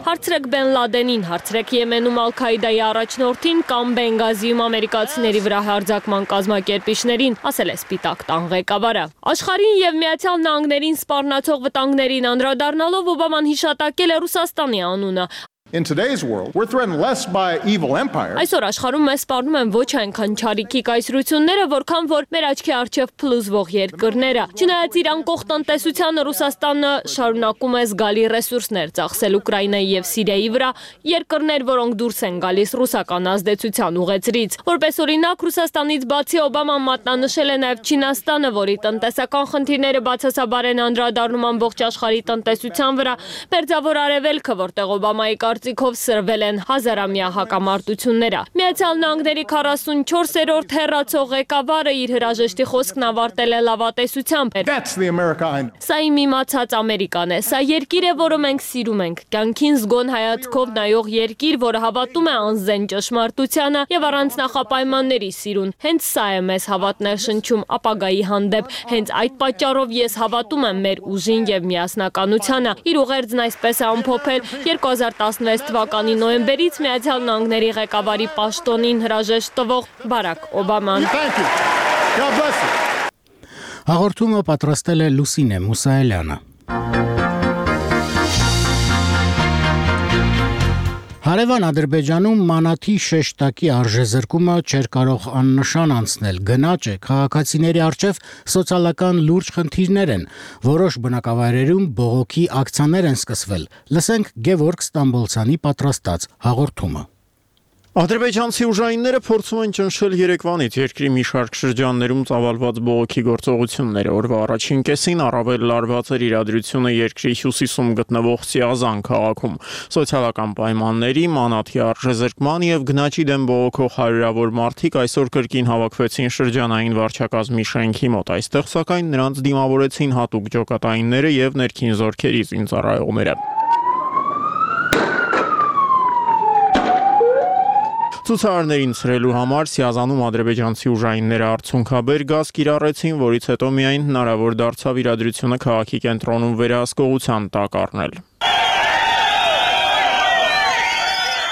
W: Հարցրեք Բեն Լադենին, հարցրեք Եմենում Ալ-Քաիդայի առաջնորդին կամ Բենգազիում ամերիկացիների վրա հարձակման կազմակերպիչներին, ասել է Սպիտակ տան ղեկավարը։ Աշխարհին եւ Միացյալ Նահանգներին սպառնացող վտանգներին անդրադառնալով Օբաման հիշատակել է Ռուսաստանի անունը։
D: In today's world, we're threatened less by evil empires.
W: Այսօր աշխարհում մեզ սպառնում են ոչ այնքան չարիքի կայսրությունները, որքան որ մեր աչքի առջև փլուզվող երկրները։ Չնայած իր անկող տնտեսությանը Ռուսաստանը շարունակում է զգալի ռեսուրսներ ծախսել Ուկրաինայի եւ Սիրիայի վրա, երկրներ, որոնք դուրս են գալիս ռուսական ազդեցության ուղեծրից։ Որպես օրինակ, Ռուսաստանից բացի Օբաման մատնանշել է նաեւ Չինաստանը, որի տնտեսական խնդիրները բացասաբար են անդրադառնում ամբողջ աշխարհի տնտեսության վրա, Մերձավոր Արևելքը, որտեղ Օբամայի կարծիքով սրվել են հազարամյա հակամարտությունները։ Միացյալ Նահանգների քառասունչորսերորդ հեռացող ղեկավարը իր հրաժեշտի խոսքն ավարտել է լավատեսությամբ։ Սա իմ իմացած Ամերիկան է, սա երկիր է, որը մենք սիրում ենք, կյանքին զգոն հայացքով նայող երկիր, որը հավատում է անզեն ճշմարտությանը եւ առանց նախապայմանների սիրուն։ Հենց սա է մեզ հավատներ շնչում ապագայի հանդեպ։ Հենց այդ պատճառով ես հավատում եմ մեր ուժին եւ միասնականությանը։ Իր ուղերձն այսպես է ամփոփել երկու հազար տասնվեց թվականի նոյեմբերից Միացյալ Նահանգների ղեկավարի պաշտոնին հրաժեշտ տվող Բարակ Օբաման։
B: Հաղորդումը պատրաստել է Լուսինե Մուսայելյանը։ Հարևան Ադրբեջանում մանաթի շեշտակի արժեզրկումը չէր կարող աննշան անցնել, գնաճ է, քաղաքացիների առջև սոցիալական լուրջ խնդիրներ են, որոշ բնակավայրերում բողոքի ակցիաներ են սկսվել։ Լսենք Գևորգ Ստամբոլցյանի պատրաստած հաղորդումը։
E: Ադրբեջանցի ուժայինները փորձում են ճնշել երեկվանից երկրի մի շարք շրջաններում ծավալված բողոքի գործողությունները։ Օրվա առաջին կեսին առավել լարված էր իրադրությունը երկրի հյուսիսում գտնվող Սիազան քաղաքում։ Սոցիալական պայմանների, մանաթի արժեզրկման եւ գնաճի դեմ բողոքող հարյուրավոր մարդիկ այսօր կրկին հավաքվեցին շրջանային վարչակազմի շենքի մոտ։ Այստեղ սակայն նրանց դիմավորեցին հատուկ ջոկատայինները եւ ներքին զորքերի զինծառայողները։ Ցուցարարներին ցրելու համար Սիազանում ադրբեջանցի ուժայինները արդյունքաբեր գազ կիրառեցին, որից հետո միայն հնարավոր դարձավ իրադրությունը քաղաքի կենտրոնում վերահսկողության տակ առնել։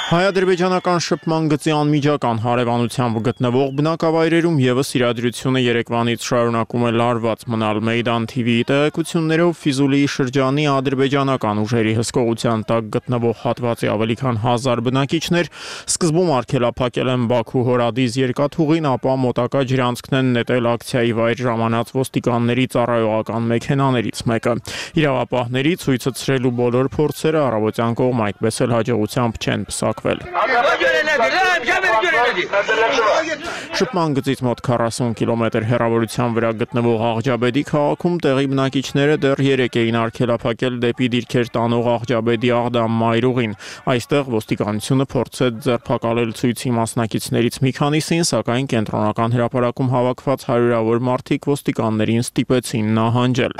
E: Հայ-ադրբեջանական շփման գծի անմիջական հարևանությամբ գտնվող բնակավայրերում եւս իրադրությունը երեկվանից շարունակում է լարված մնալ։ Մեյդան թի վիի տեղեկություններով Ֆիզուլիի շրջանի ադրբեջանական ուժերի հսկողության տակ գտնվող հատվածի ավելի քան հազար բնակիչներ սկզբում արգելափակել են Բաքու Հորադիզ երկաթուղին, ապա մոտակա ջրանցքն են նետել ակցիայի վայր ժամանած ոստիկանների ծառայողական մեքենաներից մեկը։ Իրավապահների ցույցը ցրելու բոլոր փորձերը առավոտյան կողմ այդպես էլ հաջողությամբ չեն պսակվել։ Շփման գծից մոտ քառասուն կիլոմետր հեռավորության վրա գտնվող Աղջաբեդի քաղաքում տեղի բնակիչները դեռ երեկ էին արգելափակել դեպի դիրքեր տանող Աղջաբեդի Աղդամ մայրուղին։ Այստեղ ոստիկանությունը փորձեց ձերբակալել ցույցի մասնակիցներից մի քանիսին, սակայն կենտրոնական հրապարակում հավաքված հարյուրավոր մարդիկ ոստիկաններին ստիպեցին նահանջել։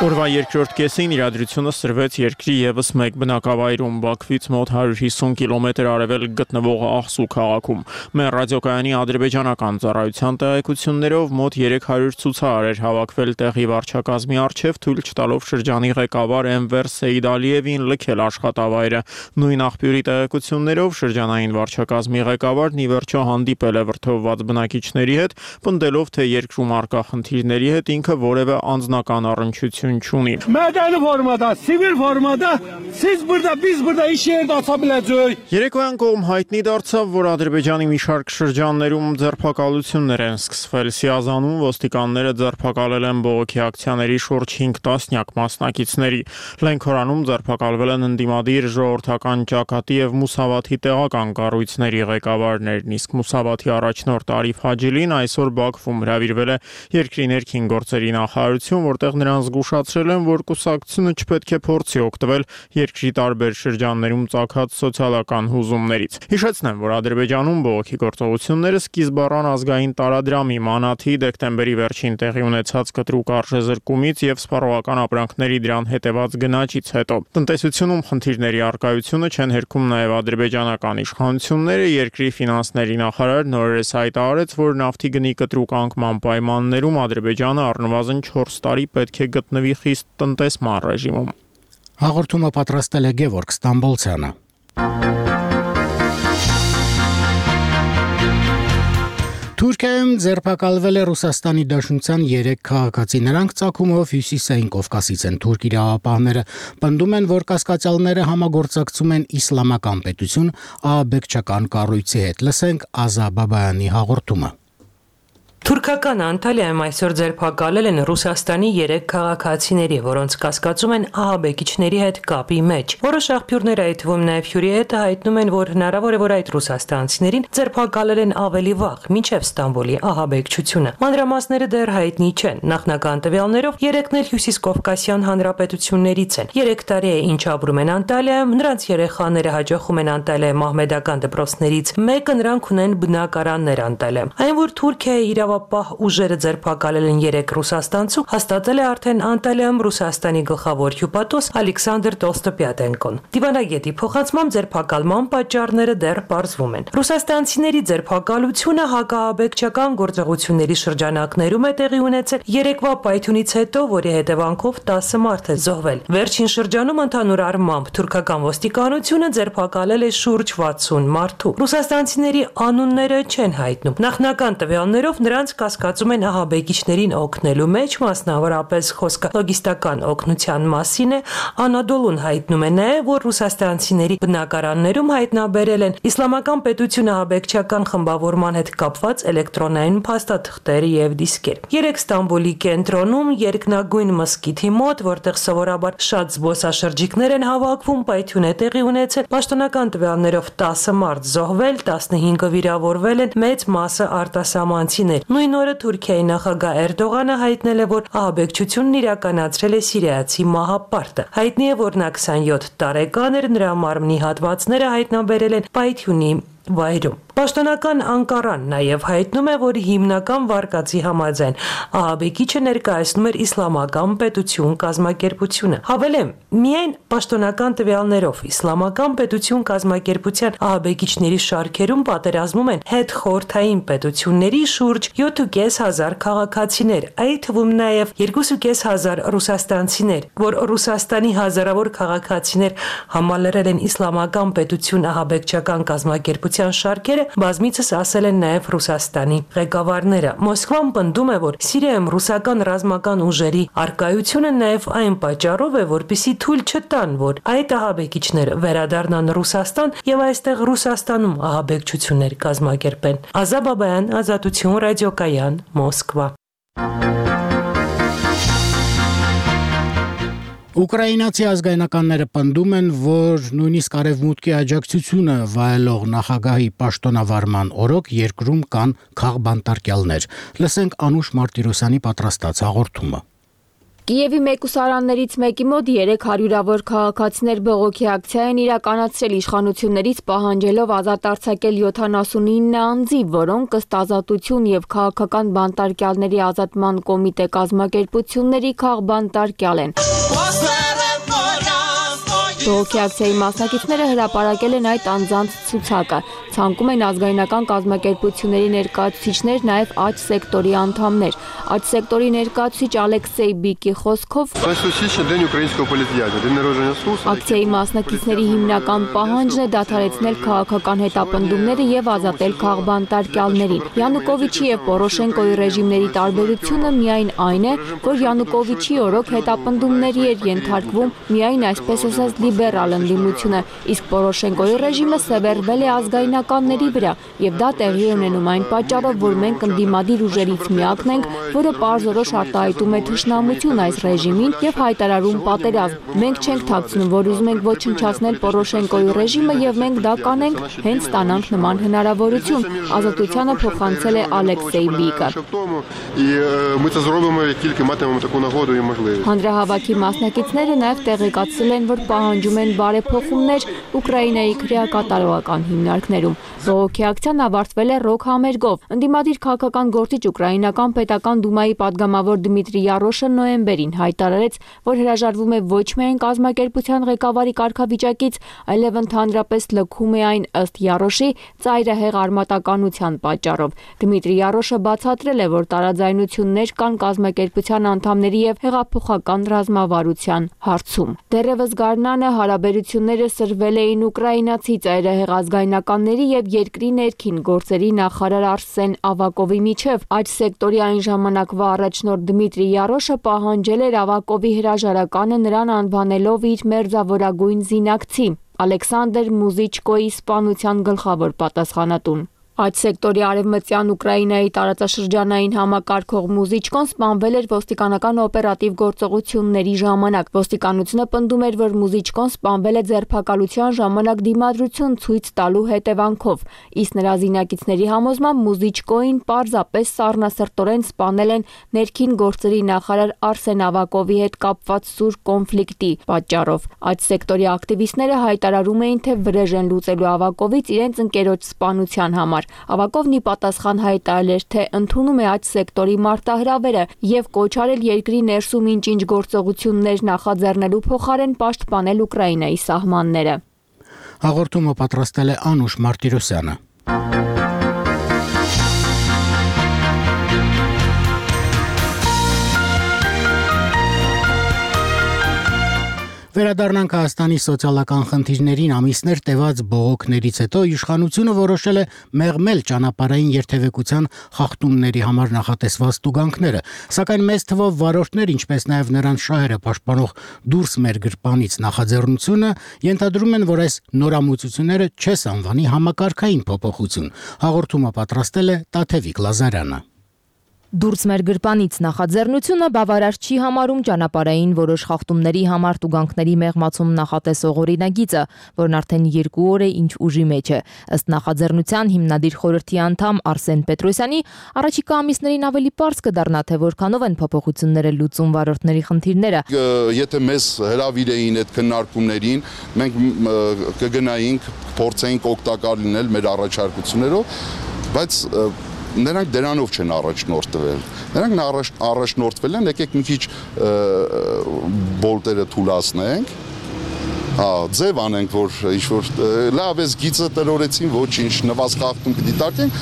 E: Օրվա երկրորդ կեսին իրադրությունը սրվեց երկրի եւս մեկ բնակավայրում Բաքվից մոտ հարյուր հիսուն կիլոմետր արևել գտնվող Աղսու քաղաքում։ Մեր ռադիոկայանի ադրբեջանական ծառայության տեղեկություններով մոտ երեք հարյուր ցուցարար էր հավաքվել տեղի վարչակազմի առջև, թույլ չտալով շրջանի ղեկավար Էնվեր Սեյդալիևին լքել աշխատավայրը։ Նույն աղբյուրի տեղեկություններով շրջանային վարչակազմի ղեկավարն ի վերջո հանդիպել է վրդովված բնակիչների հետ, պնդելով, թե երկրում արկա խնդիրների հետ ինքը որևէ անձնական առնչություն գոյություն չունի։
G: Մədəni formada, sivil formada siz burada, biz burada iş yerində aça biləcəyik։
E: Երեկոյան կողմ հայտնի դարձավ, որ Ադրբեջանի մի շարք շրջաններում ձերբակալություններ են սկսվել։ Սիազանում ոստիկանները ձերբակալել են բողոքի ակցիաների շուրջ հինգ տասնյակ մասնակիցների։ Լենքորանում ձերբակալվել են ընդդիմադիր ժողովրդական ճակատի եւ Մուսավաթի տեղական կառույցների ղեկավարներն, իսկ Մուսավաթի առաջնորդ Արիֆ Հաջիլին այսօր Բաքվում հրավիրվել է երկրի ներքին գործերի նախարարություն, որտեղ նրան զգուշացրել են, որ կուսակցությունը չպետք է փորձի օգտվել երկրի տարբեր շրջաններում ծագած սոցիալական հուզումներից։ Հիշեցնեմ, որ Ադրբեջանում բողոքի գործողությունները սկիզբ առան ազգային տարադրամի մանաթի դեկտեմբերի վերջին տեղի ունեցած կտրուկ արժեզրկումից եւ սպառողական ապրանքների դրան հետեված գնաճից հետո։ Տնտեսությունում խնդիրների առկայությունը չեն հերքում նաեւ ադրբեջանական իշխանությունները, երկրի ֆինանսների նախարար նորերս հայտարարեց, որ նավթի գնի կտրուկ անկման պայմաններում Ադրբեջանը առնվազն չորս տարի պետք է գտնվի խիստ տնտեսման ռեժիմում։
B: Հաղորդումը պատրաստել է Գևորգ Ստամբոլցյանը։ Թուրքիայում ձերբակալվել է Ռուսաստանի Դաշնության երեք քաղաքացի։ Նրանք ծագումով Հյուսիսային Կովկասից են։ Թուրք իրավապահները պնդում են, որ կասկածյալները համագործակցում են իսլամական պետություն ահաբեկչական կառույցի հետ։ Լսենք Ազա Բաբայանի հաղորդումը։
I: Թուրքական Անտալիայում այսօր ձերբակալել են Ռուսաստանի երեք քաղաքացիների, որոնց կասկածում են ահաբեկիչների հետ կապի մեջ։ Որոշ աղբյուրներ, այդ թվում նաև Հյուրիետը, հայտնում են, որ հնարավոր է, որ այդ ռուսաստանցիներին ձերբակալել են ավելի վաղ, մինչև Ստամբոլի ահաբեկչությունը։ Մանրամասները դեռ հայտնի չեն։ Նախնական տվյալներով երեքն էլ Հյուսիսկովկասյան հանրապետություններից են։ Երեք տարի է, ինչ ապրում են Անտալիայում, նրանց երեխաները հաջողում են Անտալիայի մահմեդական դպրոցներից մեկը, նրանք ունեն բնակարաններ Անտալիայում։ Այն, որ Թուրքիայի իրավ Պահ ուժերը ձերբակալել են երեք ռուսաստանցու, հաստատել է արդեն Անտալիայում Ռուսաստանի գլխավոր հյուպատոս Ալեքսանդր Տոլստոպյատենկոն։ Դիվանագետի փոխանցմամբ ձերբակալման պատճառները դեռ պարզվում են։ Ռուսաստանցիների ձերբակալությունը հակաահաբեկչական գործողությունների շրջանակներում է տեղի ունեցել երեկվա պայթյունից հետո, որի հետևանքով տասը մարդ է զոհվել։ Վերջին շրջանում ընդհանուր առմամբ թուրքական ոստիկանությունը ձերբակալել է շուրջ վաթսուն մարդու։ Ռուսաստանցիների անունները չեն հայտնում։ Նախնական տվյալներով նրանց կասկածում են ահաբեկիչներին օգնելու մեջ, մասնավորապես խոսքը լոգիստական օգնության մասին է։ Անադոլուն հայտնում է նաև, որ ռուսաստանցիների բնակարաններում հայտնաբերել են իսլամական պետություն ահաբեկչական խմբավորման հետ կապված էլեկտրոնային փաստաթղթեր եւ դիսկեր։ Երեք Ստամբոլի կենտրոնում երկնագույն մզկիթի մոտ, որտեղ սովորաբար շատ զբոսաշրջիկներ են հավաքվում, պայթյուն է տեղի ունեցել։ Պաշտոնական տվյալներով տասը մարդ զոհվել, տասնհինգը վիրավորվել են, մեծ մասը արտասահմանցիներ։ Նույն օրը Թուրքիայի նախագահ Էրդողանը հայտնել է, որ ահաբեկչությունն իրականացրել է սիրիացի մահապարտը։ Հայտնի է, որ նա քսանյոթ տարեկան էր, նրա մարմնի հատվածները հայտնաբերել են պայթյունի վայրում։ Պաշտոնական Անկարան նաև հայտնում է, որ հիմնական վարկածի համաձայն ահաբեկիչը ներկայացնում էր իսլամական պետություն կազմակերպությունը։ Հավելեմ, միայն պաշտոնական տվյալներով իսլամական պետություն կազմակերպության ահաբեկիչների շարքերում պատերազմում են հետխորհրդային պետությունների շուրջ յոթ ու կես հազար քաղաքացիներ, այդ թվում նաև երկու ու կես հազար ռուսաստանցիներ, որ Ռուսաստանի հազարավոր քաղաքացիներ համալրել են իսլամական պետություն ահաբեկչական կազմակերպության շարքերը, բազմիցս ասել են նաև Ռուսաստանի ղեկավարները։ Մոսկվան պնդում է, որ Սիրիայում ռուսական ռազմական ուժերի առկայությունը նաև այն պատճառով է, որպեսզի թույլ չտան, որ այդ ահաբեկիչները վերադառնան Ռուսաստան եւ այստեղ Ռուսաստանում ահաբեկչություններ կազմակերպեն։ Ազա Բաբայան, Ազատություն, ռադիոկայան, Մոսկվա։
B: Ուկրաինացի ազգայնականները պնդում են, որ նույնիսկ արևմուտքի աջակցությունը վայելող նախագահի պաշտոնավարման օրոք երկրում կան քաղբանտարկյալներ։ Լսենք Անուշ Մարտիրոսյանի պատրաստած հաղորդումը։
J: Կիևի մեկուսարաններից մեկի մոտ երեք հարյուրավոր քաղաքացիներ բողոքի ակցիա են իրականացրել իշխանություններից պահանջելով ազատ արձակել յոթանասունինը անձի, որոնք ըստ Ազատություն եւ քաղաքական բանտարկյալների ազատման կոմիտե կազմակերպությունների քաղբանտարկյալ են։ Բողոքի ակցիայի մասնակիցները հրապարակել են այդ անձանց ցուցակը։ Ցանկում են ազգայնական կազմակերպությունների ներկայացուցիչներ, նաև աջ սեկտորի անդամներ։ Աջ սեկտորի ներկայացուցիչ Ալեքսեյ Բիկի խոսքով ակցիայի մասնակիցների հիմնական պահանջն է դադարեցնել քաղաքական հետապնդումները եւ ազատել քաղբանտարկյալներին։ Յանուկովիչի եւ Պորոշենկոյի ռեժիմների տարբերությունը միայն այն է, որ Յանուկովիչի օրոք հետապնդումների էր ենթարկվում միայն այսպես ասած լիբերալ ընդդիմությունը, իսկ Պորոշենկոյի ռեժիմը սևեռվել է ազգայնականների վրա, եւ դա տեղի ունենում այն պատճառով, որ մենք ընդդիմադիր ուժերից միակն ենք, որը պարզորոշ արտահայտում է թշնամություն այս ռեժիմին եւ հայտարարում պատերազմ։ Մենք չենք թաքցնում, որ ուզում ենք ոչնչացնել Պորոշենկոյի ռեժիմը եւ մենք դա կանենք, հենց ստանանք նման հնարավորություն։ Ազատությանը փոխանցել է Ալեքսեյ Բիկը։ Հանրահավաքի մասնակիցները նաև տեղեկացրել են, որ պահանջում են բարեփոխումներ Ուկրաինայի քրեակատարողական հիմնարկներում։ Բողոքի ակցիան ավարտվել է ռոք համերգով։ Ընդդիմադիր քաղաքական գործիչ Ուկրաինական պետական դումայի падգամավոր Դմիտրի Յարոշը նոյեմբերին հայտարարեց, որ հրաժարվում է ոչ միայն կազմակերպության ղեկավարի կարգավիճակից, այլև ընդհանրապես լքում է այն ըստ Յարոշի ծայրահեղ արմատականության պատճառով։ Դմիտրի Յարոշը բացատրել է, որ տարաձայնություններ կան կազմակերպության անդամների եւ հեղափոխական ռազմավարության հարցում։ Դեռևս գարնանը հարաբերությունները սրվել էին ուկրաինացի ծայրահեղ ազգայնականների եւ երկրի ներքին գործերի նախարար Արսեն Ավակովի միջև։ Այդ սեկտորի այն ժամանակվա առաջնորդ Դմիտրի Յարոշը պահանջել էր Ավակովի հրաժարականը նրան անվանելով իր մերձավորագույն զինակցի Ալեքսանդր Մուզիչկոյի սպանության գլխավոր պատասխանատուն։ Այդ սեկտորի արևմտյան Ուկրաինայի տարածաշրջանային համակարգող Մուզիչկոն սպանվել էր ոստիկանական օպերատիվ գործողությունների ժամանակ։ Ոստիկանությունը պնդում էր, որ Մուզիչկոն սպանվել է ձերբակալության ժամանակ դիմադրություն ցույց տալու հետևանքով, իսկ նրա զինակիցների համոզմամբ Մուզիչկոին պարզապես սառնասրտորեն սպանել են ներքին գործերի նախարար Արսեն Ավակովի հետ կապված սուր կոնֆլիկտի պատճառով։ Այդ սեկտորի ակտիվիստները հայտարարում էին, թե վրեժ են լուծելու Ավակովից իրենց ընկերոջ սպանության համար։ Ավակովն ի պատասխան հայտարարել էր, թե ընդունում է այդ սեկտորի մարտահրավերը եւ կոչ արել երկրի ներսում ինչ-ինչ գործողություններ նախաձեռնելու փոխարեն պաշտպանել Ուկրաինայի սահմանները։
B: Հաղորդումը պատրաստել է Անուշ Մարտիրոսյանը։ Վերադառնանք Հայաստանի սոցիալական խնդիրներին ամիսներ տևած բողոքներից հետո իշխանությունը որոշել է մեղմել ճանապարհային երթևեկության խախտումների համար նախատեսված տուգանքները, սակայն մեծ թվով վարորդներ, ինչպես նաև նրանց շահերը պաշտպանող դուրս մեր գրպանից նախաձեռնությունը ենթադրում են, որ այս նորամուծությունները չես անվանի համակարգային փոփոխություն։ Հաղորդումը պատրաստել է Տաթևիկ Լազարյանը։
H: Դուրս մեր գրպանից նախաձեռնությունը բավարար չի համարում ճանապարհային որոշ խախտումների համար տուգանքների մեղմացում նախատեսող օրինագիծը, որն արդեն երկու օր է ինչ ուժի մեջ է։ Ըստ նախաձեռնության հիմնադիր խորհրդի անդամ Արսեն Պետրոսյանի, առաջիկա ամիսներին ավելի պարզ կդառնա, թե որքանով են փոփոխությունները լուծում վարորդների խնդիրները։
K: Եթե մեզ հրավիրեին այդ քննարկումներին, մենք կգնայինք, փորձեինք օգտակար լինել մեր առաջարկություններով, բայց նրանք դրանով չեն առաջնորդվել։ Նրանք առաջ, առաջնորդվել են, եկեք մի քիչ բոլտերը թուլացնենք, հա, ձև անենք, որ ինչ-որ լավ էս գիծը տրորեցին, ոչինչ, նվազ խախտում կդիտարկենք,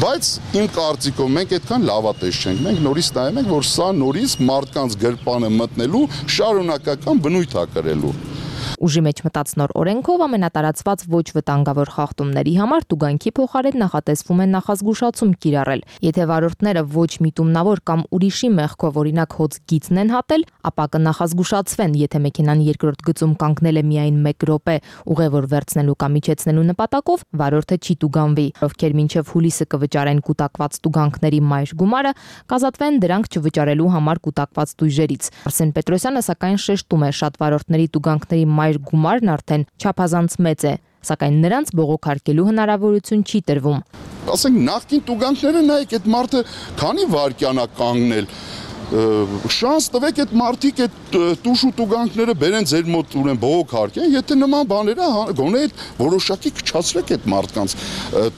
K: բայց իմ կարծիքով մենք այդքան լավատես չենք։ Մենք նորից նայում ենք, որ սա նորից մարդկանց գրպանը մտնելու շարունակական բնույթ է կրելու։
H: Ուժի մեջ մտած նոր օրենքով ամենատարածված ոչ վտանգավոր խախտումների համար տուգանքի փոխարեն նախատեսվում է նախազգուշացում կիրառել։ Եթե վարորդները ոչ միտումնավոր կամ ուրիշի մեղքով օրինակ հոծ գիծն են հատել, ապա կնախազգուշացվեն, եթե մեքենան երկրորդ գծում կանգնել է միայն մեկ րոպե ուղևոր վերցնելու կամ իջեցնելու նպատակով, վարորդը չի տուգանվի։ Ովքեր մինչև հուլիսը կվճարեն կուտակված տուգանքների մայր գումարը, կազատվեն դրանք չվճարելու համար կուտակված տույժերից։ Արսեն Պետրոսյանը սակայն շեշտում է, շատ վարորդների տուգանքների մայր գումարն արդեն չափազանց մեծ է, սակայն նրանց բողոքարկելու հնարավորություն չի տրվում։
K: Ասենք նախկին տուգանքները նայեք, այդ մարդը քանի վայրկյան է կանգնել, շանս տվեք այդ մարդիկ այդ տուժ ու տուգանքները բերեն ձեր մոտ ուրեմն բողոք հարկեն, եթե նման բաները գոնե այդ որոշակի քչացրեք այդ մարդկանց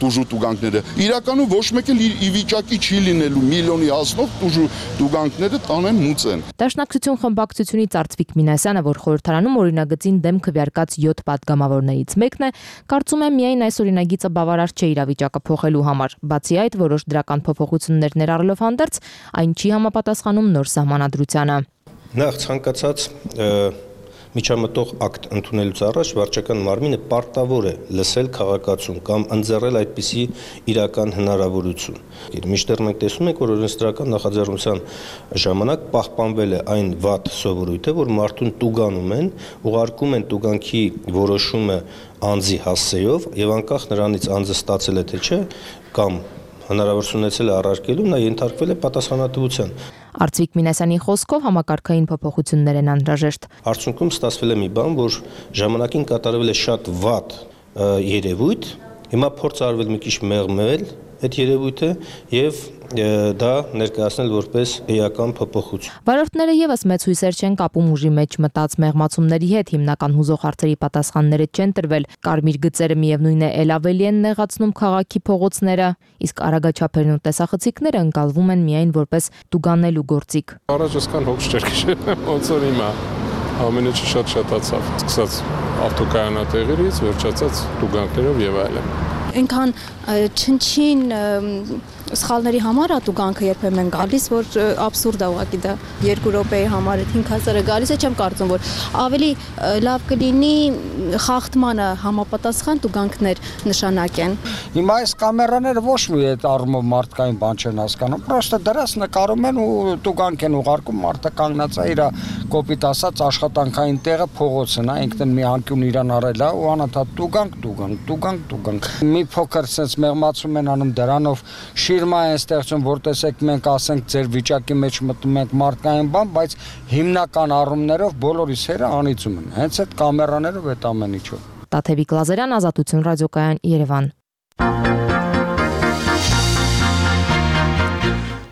K: տուժ ու տուգանքները։ Իրականում ոչ մեկ էլ ի վիճակի չի լինելու միլիոնի հասնող տուժ ու տուգանքները տանեն մուծեն։
H: Դաշնակցություն խմբակցությունից Արծվիկ Մինասյանը, որ խորհրդարանում օրինագծին դեմ քվեարկած յոթ պատգամավորներից մեկն է, կարծում է միայն այս օրինագիծը բավարար չէ իրավիճակը փոխելու համար։ Բացի այդ, որոշ դրական փոփոխություններ ներառելով հանդերձ, այն չի համապատասխանում նոր սահմանադրությանը։
L: Նախ ցանկացած միջամտող ակտ ընդունելուց առաջ վարչական մարմինը պարտավոր է լսել քաղաքացուն կամ ընձեռել այդպիսի իրական հնարավորություն։ Մինչդեռ մենք տեսնում ենք, որ օրենսդրական նախաձեռնության ժամանակ պահպանվել է այն վատ սովորույթը, որ մարդուն տուգանում են, ուղարկում են տուգանքի որոշումը անձի հասցեով եւ անկախ նրանից անձը ստացել է թե չէ կամ հնարավորություն ունեցել է առարկելու, նա ենթարկվել է պատասխանատվության։
H: Արծվիկ Մինասյանի խոսքով համակարգային փոփոխություններ են անհրաժեշտ։
L: Արդյունքում ստացվել է մի բան, որ ժամանակին կատարվել է շատ վատ երևույթ, հիմա փորձ արվել մի քիչ մեղմել այդ երևույթը եւ դա ներկայացնել որպես էական փոփոխություն։
H: Վարորդները եւս մեծ հույսեր չեն կապում ուժի մեջ մտած մեղմացումների հետ, հիմնական հուզող հարցերի պատասխանները չեն տրվել։ Կարմիր գծերը միևնույն է ել ավելի են նեղացնում քաղաքի փողոցները, իսկ արագաչափերն ու տեսախցիկները ընկալվում են միայն որպես տուգանելու գործիք։
M: Առաջ այսքան հոգ չէր քշել, ոնց որ հիմա ամենը շատ-շատացավ, սկսած ավտոկայանատեղերից, վերջացած տուգանքներով եւ այլն։
N: Այնքան չնչին սխալների համար ատուգանքը երբեմն գալիս, որ աբսուրդ է ուղղակի դա երկու րոպեի համար այդ հինգ հազարը գալիս է, չեմ կարծում, որ ավելի լավ կլինի խախտմանը համապատասխան տուգանքներ նշանակեն։
X: Հիմա այս կամերաները ոչ մի այդ առումով մարդկային բան չեն հասկանում, պրոստը դրած նկարում են ու տուգանք են ուղարկում, մարդը կանգնած է իր կոպիտ ասած աշխատանքային տեղը փողոցն է, ինքն մի անկյուն իրան արել է ու անընդհատ տուգանք, տուգանք, տուգանք, տուգանք։ Մի փոքր sense մեղմացում են անում դրանով շիրմա են ստեղծում, որ տեսեք մենք ասենք ձեր վիճակի մեջ մտնում ենք մարդկային բան, բայց հիմնական առումներով բոլորիս հերը անիծում են։ Հենց այդ կամերաներով այդ ամեն ինչով։
H: Տաթևիկ Լազարյան, Ազատություն ռադիոկայան, Երևան։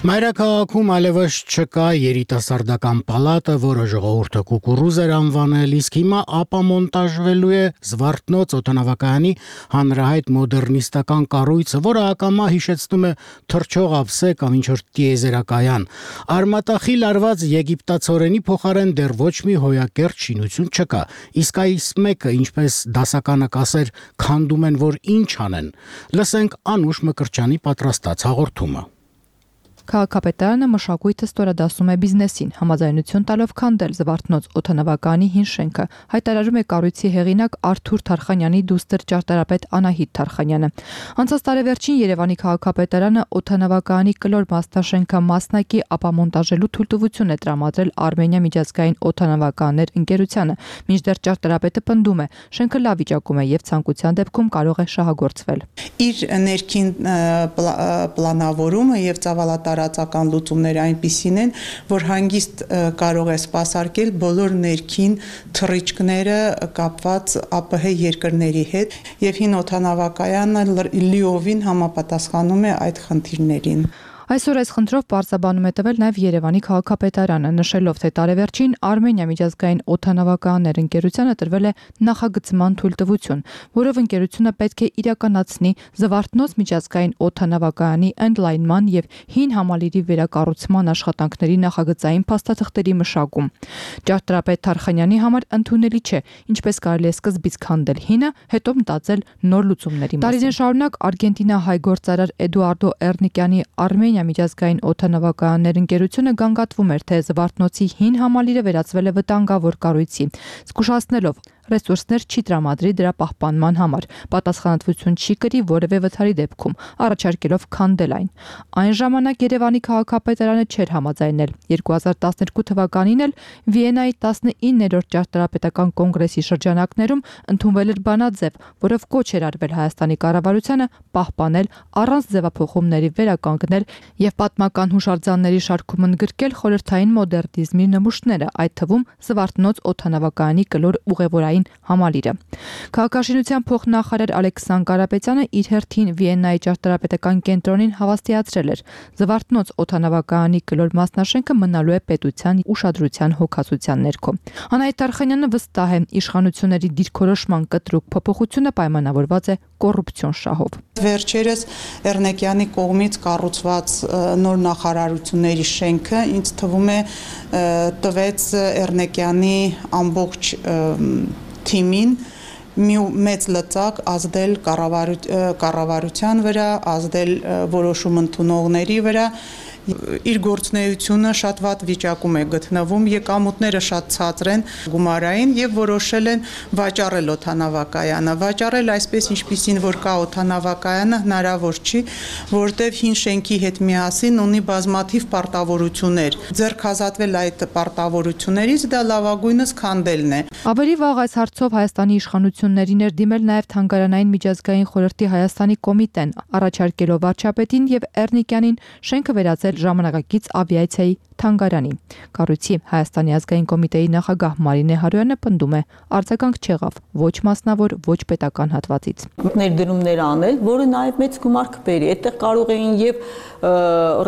B: Մայրաքաղաքում այլևս չկա երիտասարդական պալատը, որը ժողովուրդը կուկուռուզ էր անվանել, իսկ հիմա ապամոնտաժվելու է Զվարթնոց օդանավակայանի հանրահայտ մոդեռնիստական կառույցը, որը ակամա հիշեցնում է թռչող ափսե կամ ինչ-որ տիեզերակայան։ Արմատախիլ արված եգիպտացորենի փոխարեն դեռ ոչ մի հոյակերտ շինություն չկա, իսկ այս մեկը, ինչպես դասականը կասեր, քանդում են, որ ինչ անեն։ Լսենք Անուշ Մկրտչյանի պատրաստած հաղորդումը։
Y: Քաղաքապետարանը մշակույթը ստորադասում է բիզնեսին, համաձայնություն տալով քանդել Զվարթնոց օդանավակայանի հին շենքը, հայտարարում է կառույցի հեղինակ Արթուր Թարխանյանի դուստր ճարտարապետ Անահիտ Թարխանյանը։ Անցած տարեվերջին Երևանի քաղաքապետարանը օդանավակայանի կլոր մասնաշենքը մասնակի ապամոնտաժելու թույլտվություն է տրամադրել Արմենիա միջազգային օդանավականներ ընկերությանը, մինչդեռ ճարտարապետը պնդում է, շենքը լավ վիճակում է եւ ցանկության դեպքում կարող է շահագործվել։
Z: Իր ներքին պլանավորումը եւ ծավալատարածական լուծումները այնպիսին են, որ հանգիստ կարող է սպասարկել բոլոր ներքին թռիչքները կապված ԱՊՀ երկրների հետ եւ հին օդանավակայանը լիովին համապատասխանում է այդ խնդիրներին։
Y: Այսօր այս խնդրով պարզաբանում է տվել նաև Երևանի քաղաքապետարանը, նշելով, թե տարեվերջին Արմենիա միջազգային օդանավականներ ընկերությանը տրվել է նախագծման թույլտվություն, որով ընկերությունը պետք է իրականացնի Զվարթնոց միջազգային օդանավակայանի ընդլայնման եւ հին համալիրի վերակառուցման աշխատանքների նախագծային փաստաթղթերի մշակում։ Ճարտարապետ Թարխանյանի համար ընդունելի չէ, ինչպես կարելի է սկզբից քանդել հինը, հետո մտածել նոր լուծումների մասին։ Տարիներ շարունակ Արգենտինա-հայ գործարար Էդուարդո Էրնիկյանի Արմենիա միջազգային օդանավականներ ընկերությունը գանգատվում էր, թե Զվարթնոցի հին համալիրը վերածվել է վտանգավոր կառույցի, զգուշացնելով ռեսուրսներ չի տրամադրի դրա պահպանման համար, պատասխանատվություն չի կրի որևէ վթարի դեպքում, առաջարկելով քանդել այն։ Այն ժամանակ Երևանի քաղաքապետարանը չէր համաձայնել։ երկու հազար տասներկու թվականին էլ Վիեննայի տասնիններորդ ճարտարապետական կոնգրեսի շրջանակներում ընդունվել էր բանաձև, որով կոչ էր արվել Հայաստանի կառավարությանը պահպանել առանց ձևափոխումների վերականգնել եւ պատմական հուշարձանների շարքում ընդգրկել խորհրդային մոդեռնիզմի նմուշները, այդ թվում Զվարթնոց օդանավակայանի կլոր ուղևորային փոխհարային համալիրը։ Քաղաքաշինության փոխնախարար Ալեքսան Կարապետյանը իր հերթին Վիեննայի ճարտարապետական կենտրոնին հավաստիացրել էր. Զվարթնոց օդանավակայանի կլոր մասնաշենքը մնալու է պետության ուշադրության հոգացության ներքո։ Անահիտ Արխանյանը վստահ է, իշխանությունների դիրքորոշման կտրուկ փոփոխությունը պայմանավորված է կոռուպցիոն շահով։
Z: Վերջերս Էռնեկյանի կողմից կառուցված նոր նախարարությունների շենքը ինձ թվում է տվեց Էռնեկյանի ամբողջ թիմին մի մեծ լծակ ազդել կառավարության վրա, ազդել որոշում ընդունողների վրա, իր գործունեությունը շատ վատ վիճակում է գտնվում, եկամուտները շատ ցածր են գումարային եւ որոշել են վաճառել օդանավակայանը, վաճառել այսպես ինչպիսին որ կա օդանավակայանը հնարավոր չի, որտեվ հին շենքի հետ միասին ունի բազմաթիվ պարտավորություններ, ձեռք ազատվել այդ պարտավորություններից դա լավագույնս քանդելն է։
Y: Ավելի վաղ այս հարցով Հայաստանի իշխանություններին էր դիմել նաև Թանգարանային միջազգային խորհրդի Հայաստանի կոմիտեն, առաջարկելով վարչապետին եւ Էռնեկյանին շենքը վերածել ժամանակակից ավիացիայի թանգարանի։ Կառույցի Հայաստանի ազգային կոմիտեի նախագահ Մարինե Հարոյանը պնդում է, արձագանք չեղավ ոչ մասնավոր, ոչ պետական հատվածից։
A: Ներդրումներ անել, որը նաև մեծ գումար կբերի։ Այդտեղ կարող էին եւ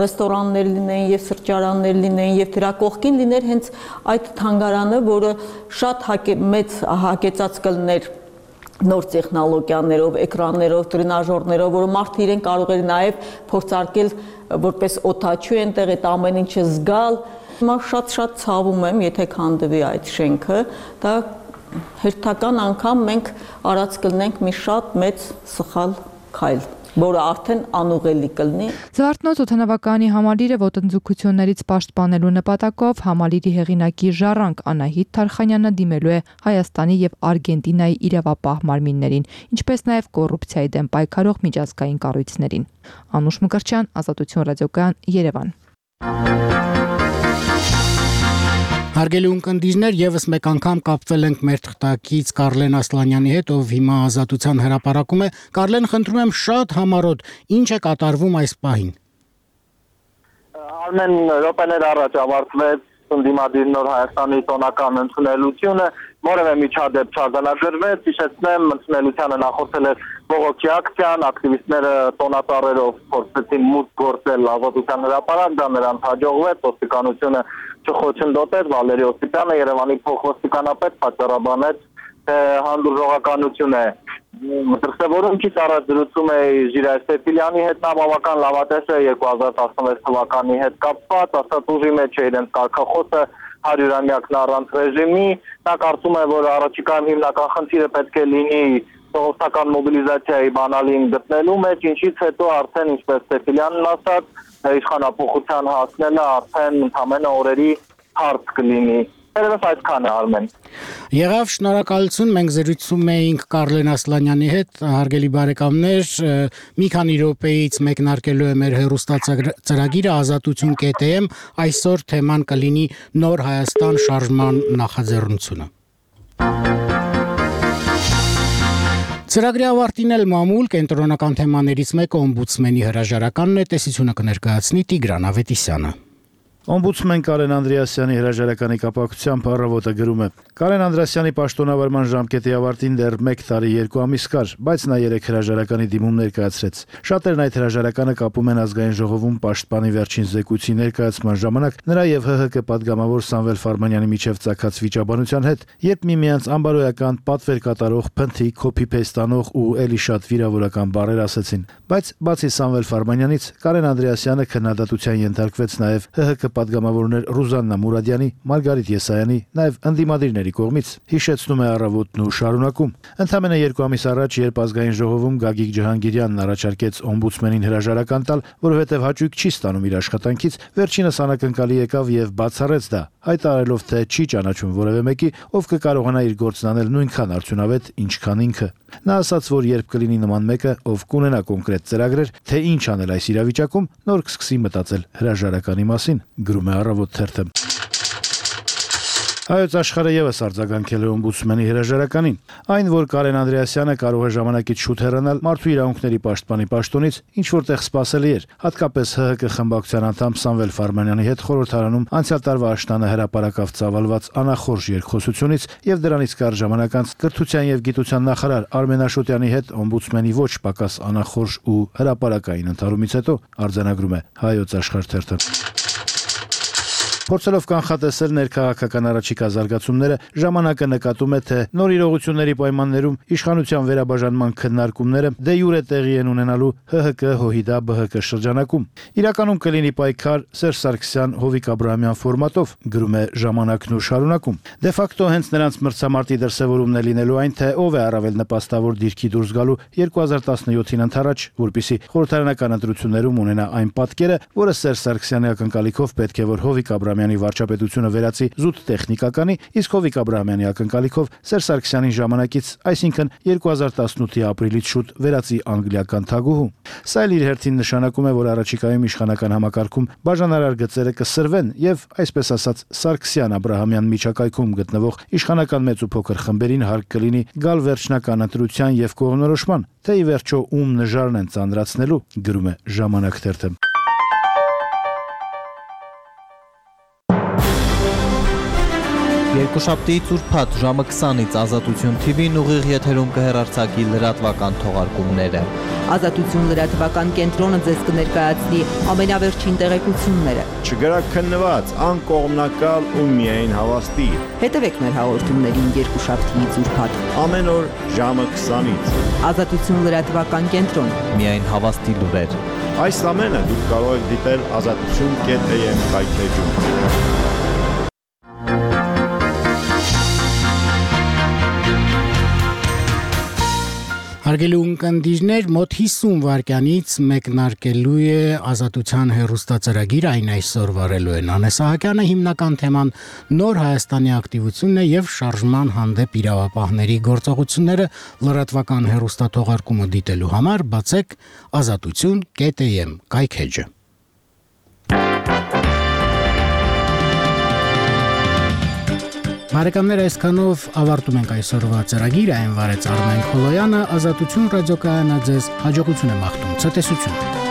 A: ռեստորաններ լինեն, եւ սրճարաններ լինեն, եւ դրա կողքին լիներ հենց այդ թանգարանը, որը շատ մեծ հագեցած կլներ նոր տեխնոլոգիաներով, էկրաններով, տրենաժորներով, որը մարդը իրեն կարող էր նաև փորձարկել որպես օդաչու այնտեղ այդ ամեն ինչը զգալ։ Հիմա շատ-շատ ցավում եմ, եթե քանդվի այդ շենքը, դա հերթական անգամ մենք արած կլնենք մի շատ մեծ սխալ քայլ, որը արդեն անուղելի կլինի։
Y: Զվարթնոց օդանավակայանի համալիրը ոտնձգություններից պաշտպանելու նպատակով համալիրի հեղինակի Ժառանգ Անահիտ Արխանյանը դիմելու է Հայաստանի եւ Արգենտինայի իրավապահ մարմիններին, ինչպես նաեւ կոռուպցիայի դեմ պայքարող միջազգային կառույցներին։ Անուշ Մկրտչյան, Ազատություն ռադիոկայան, Երևան։
B: Հարգելի ունկնդիրներ, եւս մեկ անգամ կապվել ենք մեր թղթակից Կարլեն Ասլանյանի հետ, ով հիմա Ազատության հրապարակում է։ Կարլեն, խնդրում եմ շատ համառոտ, ինչ է կատարվում այս պահին։
O: Արմեն րոպեներ առաջ ավարտվեց ընդդիմադիր Նոր Հայաստանի տոնական ընդունելությունը, որևէ միջադեպ չարձանագրվեց, հիշեցնեմ, ընդունելությանը նախորդել էր բողոքի ակցիան, ակտիվիստները տոնածառերով փորձեցին մուտք գործել Ազատության հրապարակ, դա նրանց հաջողվեց, ոստիկանությունը չխոչընդոտեց, Վալերի Օսիպյանը Երևանի փոխոստիկանապետ պատճառաբանեց, թե հանդուրժողականություն է։ Դրսևորումից առաջ զրուցում է Ժիրայր Սեփիլյանի հետ, նա բավական լավատես է երկու հազար տասնվեց թվականի հետ կապված, ասած ուժի մեջ է իրենց կարգախոսը հարյուրամյակն առանց ռեժիմի, նա կարծում է, որ առաջիկայում հիմնական խնդիրը պետք է լինի ժողովրդական մոբիլիզացիայի բանալին գտնելու մեջ, ինչից հետո արդեն ինչպես Սեփիլյանն ասաց, իշխանափոխության հասնելը արդեն ընդամենը օրերի հարց կլինի։ Երևս այդքան է, Արմեն։
B: Եղավ, շնորհակալություն, մենք զրուցում էինք Կարլեն Ասլանյանի հետ, հարգելի բարեկամներ, մի քանի րոպեից մեկնարկելու է մեր հեռուստացրագիրը ազատություն կետ եմ, այսօր թեման կլինի Նոր Հայաստան շարժման նախաձեռնությունը։ Ծրագրի ավարտին էլ մամուլ կենտրոնական թեմաներից մեկը օմբուդսմենի հրաժարականն է, տեսությունը կներկայացնի Տիգրան Ավետիսյանը։
P: Օմբուդսմեն Կարեն Անդրեասյանի հրաժարականի կապակցությամբ առավոտը գրում է. Կարեն Անդրեասյանի պաշտոնավարման ժամկետի ավարտին դեռ մեկ տարի երկու ամիս կար, բայց նա երեք հրաժարականի դիմում ներկայացրեց։ Շատերն այդ հրաժարականը կապում են ազգային ժողովում պաշտպանի վերջին զեկույցի ներկայացման ժամանակ նրա եւ ՀՀԿ պատգամավոր Սամվել Ֆարմանյանի միջև ծագած վիճաբանության հետ, երբ միմյանց անբարոյական պատվեր կատարող, փնթի, copy-paste անող ու էլի շատ վիրավորական բառեր ասեցին։ Բայց բացի Սամվել Ֆարմանյանից, Կարեն Անդրեասյանը քննադատության ենթարկվեց նաեւ ՀՀԿ պատգամավորներ Ռուզաննա Մուրադյանի, Մարգարիտ Եսայանի, նաև ընդդիմադիրների կողմից, հիշեցնում է առավոտն ու շարունակում։ Ընդամենը երկու ամիս առաջ, երբ ազգային ժողովում Գագիկ Ջհանգիրյանն առաջարկեց օմբուդսմենին հրաժարական տալ, որովհետև հաճույք չի ստանում իր աշխատանքից, վերջինս անակնկալի եկավ եւ բացառեց դա, հայտարարելով, թե չի ճանաչում որևէ մեկի, ով կկարողանա իր գործն անել նույնքան արդյունավետ, ինչքան ինքը։ Նա ասաց, որ երբ կլինի նման մեկը, ով կունենա կոնկրետ ծրագրեր, թե ինչ անել այս իրավիճակում, նոր կսկսի մտածել հրաժարականի մասին, գրում է Առավոտ թերթը։ Հայոց աշխարհը եւս արձագանքել է օմբուդսմենի հրաժարականին։ Այն, որ Կարեն Անդրեասյանը կարող է ժամանակից շուտ հեռանալ մարդու իրավունքների պաշտպանի պաշտոնից, ինչ որտեղ սպասելի էր, հատկապես ՀՀԿ խմբակցության անդամ Սամվել Ֆարմանյանի հետ խորհրդարանում անցյալ տարվա աշնանը հրապարակավ ծավալված անախորժ երկխոսությունից եւ դրանից կարճ ժամանակ անց կրթության եւ գիտության նախարար Արմեն Աշոտյանի հետ օմբուդսմենի ոչ պակաս անախորժ ու հրապարակային ընդհարումից հետո արձանագրում է Հայոց աշխարհ թերթը։ Փորձելով կանխատեսել ներքաղաքական առաջիկա զարգացումները, ժամանակը նկատում է, թե նոր իրողությունների պայմաններում իշխանության վերաբաժանման քննարկումները դե յուրե տեղի են ունենալու ՀՀԿ ՀՅԴ-ԲՀԿ շրջանակում։ Իրականում կլինի պայքար Սերժ Սարգսյան Հովիկ Աբրահամյան ֆորմատով, գրում է ժամանակն ու շարունակում։ Դե ֆակտո հենց նրանց մրցամարտի դրսևորումն է լինելու այն, թե ով է առավել նպաստավոր դիրքի դուրս գալու երկու հազար տասնյոթին ընթരാճ, որպիսի խորհրդարանական ընտրություններում ունենա այն պատկերը, որը Սերժ Սարգսյանի ակնկալիքով պետք է որ Հովիկ Աբրահամյանի վարչապետությունը վերածի զուտ տեխնիկականի, իսկ Հովիկ Աբրահամյանի ակնկալիքով Սերժ Սարգսյանին ժամանակից, այսինքն երկու հազար տասնութի ապրիլից շուտ վերածի անգլիական թագուհու։ Սա էլ իր հերթին նշանակում է, որ առաջիկայում իշխանական համակարգում բաժանարար գծերը կսրվեն եւ, այսպես ասած, Սարգսյան-Աբրահամյան միջակայքում գտնվող իշխանական մեծ ու փոքր խմբերին հարկ կլինի գալ վերջնական ընտրության եւ կողմնորոշման, թե ի վերջո ում նժարն են ծանրացնելու, գրում է Ժամանակ թերթը։
F: Երկուշաբթիից ուրբաթ ժամը քսանից Ազատություն Թի Վին ուղիղ եթերում կհեռարձակի լրատվական թողարկումները։
Q: Ազատություն լրատվական կենտրոնը ձեզ կներկայացնի ամենավերջին տեղեկությունները։
R: Չգրակ քննված, անկողմնակալ ու միայն հավաստի։
Q: Հետևեք մեր հաղորդումներին երկուշաբթիից ուրբաթ
R: ամեն օր ժամը քսանից։
Q: Ազատություն լրատվական կենտրոն։
F: Միայն հավաստի լուրեր։
R: Այս ամենը դուք կարող եք դիտել ազատություն կետ է եմ կայքեջում։
B: Հարգելի ունկնդիրներ, մոտ հիսուն վայրկյանից մեկնարկելու է Ազատության հեռուստածրագիր, այն այսօր վարելու է Նանե Սահակյանը, հիմնական թեման նոր Հայաստանի ակտիվությունն է եւ շարժման հանդեպ իրավապահների գործողությունները, լրատվական հեռուստաթողարկումը դիտելու համար բացեք ազատություն կետ է եմ կայքեջը։ Բարեկամներ, այսքանով ավարտում ենք այսօրվա ծրագիրը, այն վարեց Արմեն Քոլոյանը, Ազատություն ռադիոկայանը ձեզ հաջողություն է մաղթում, ցտեսություն։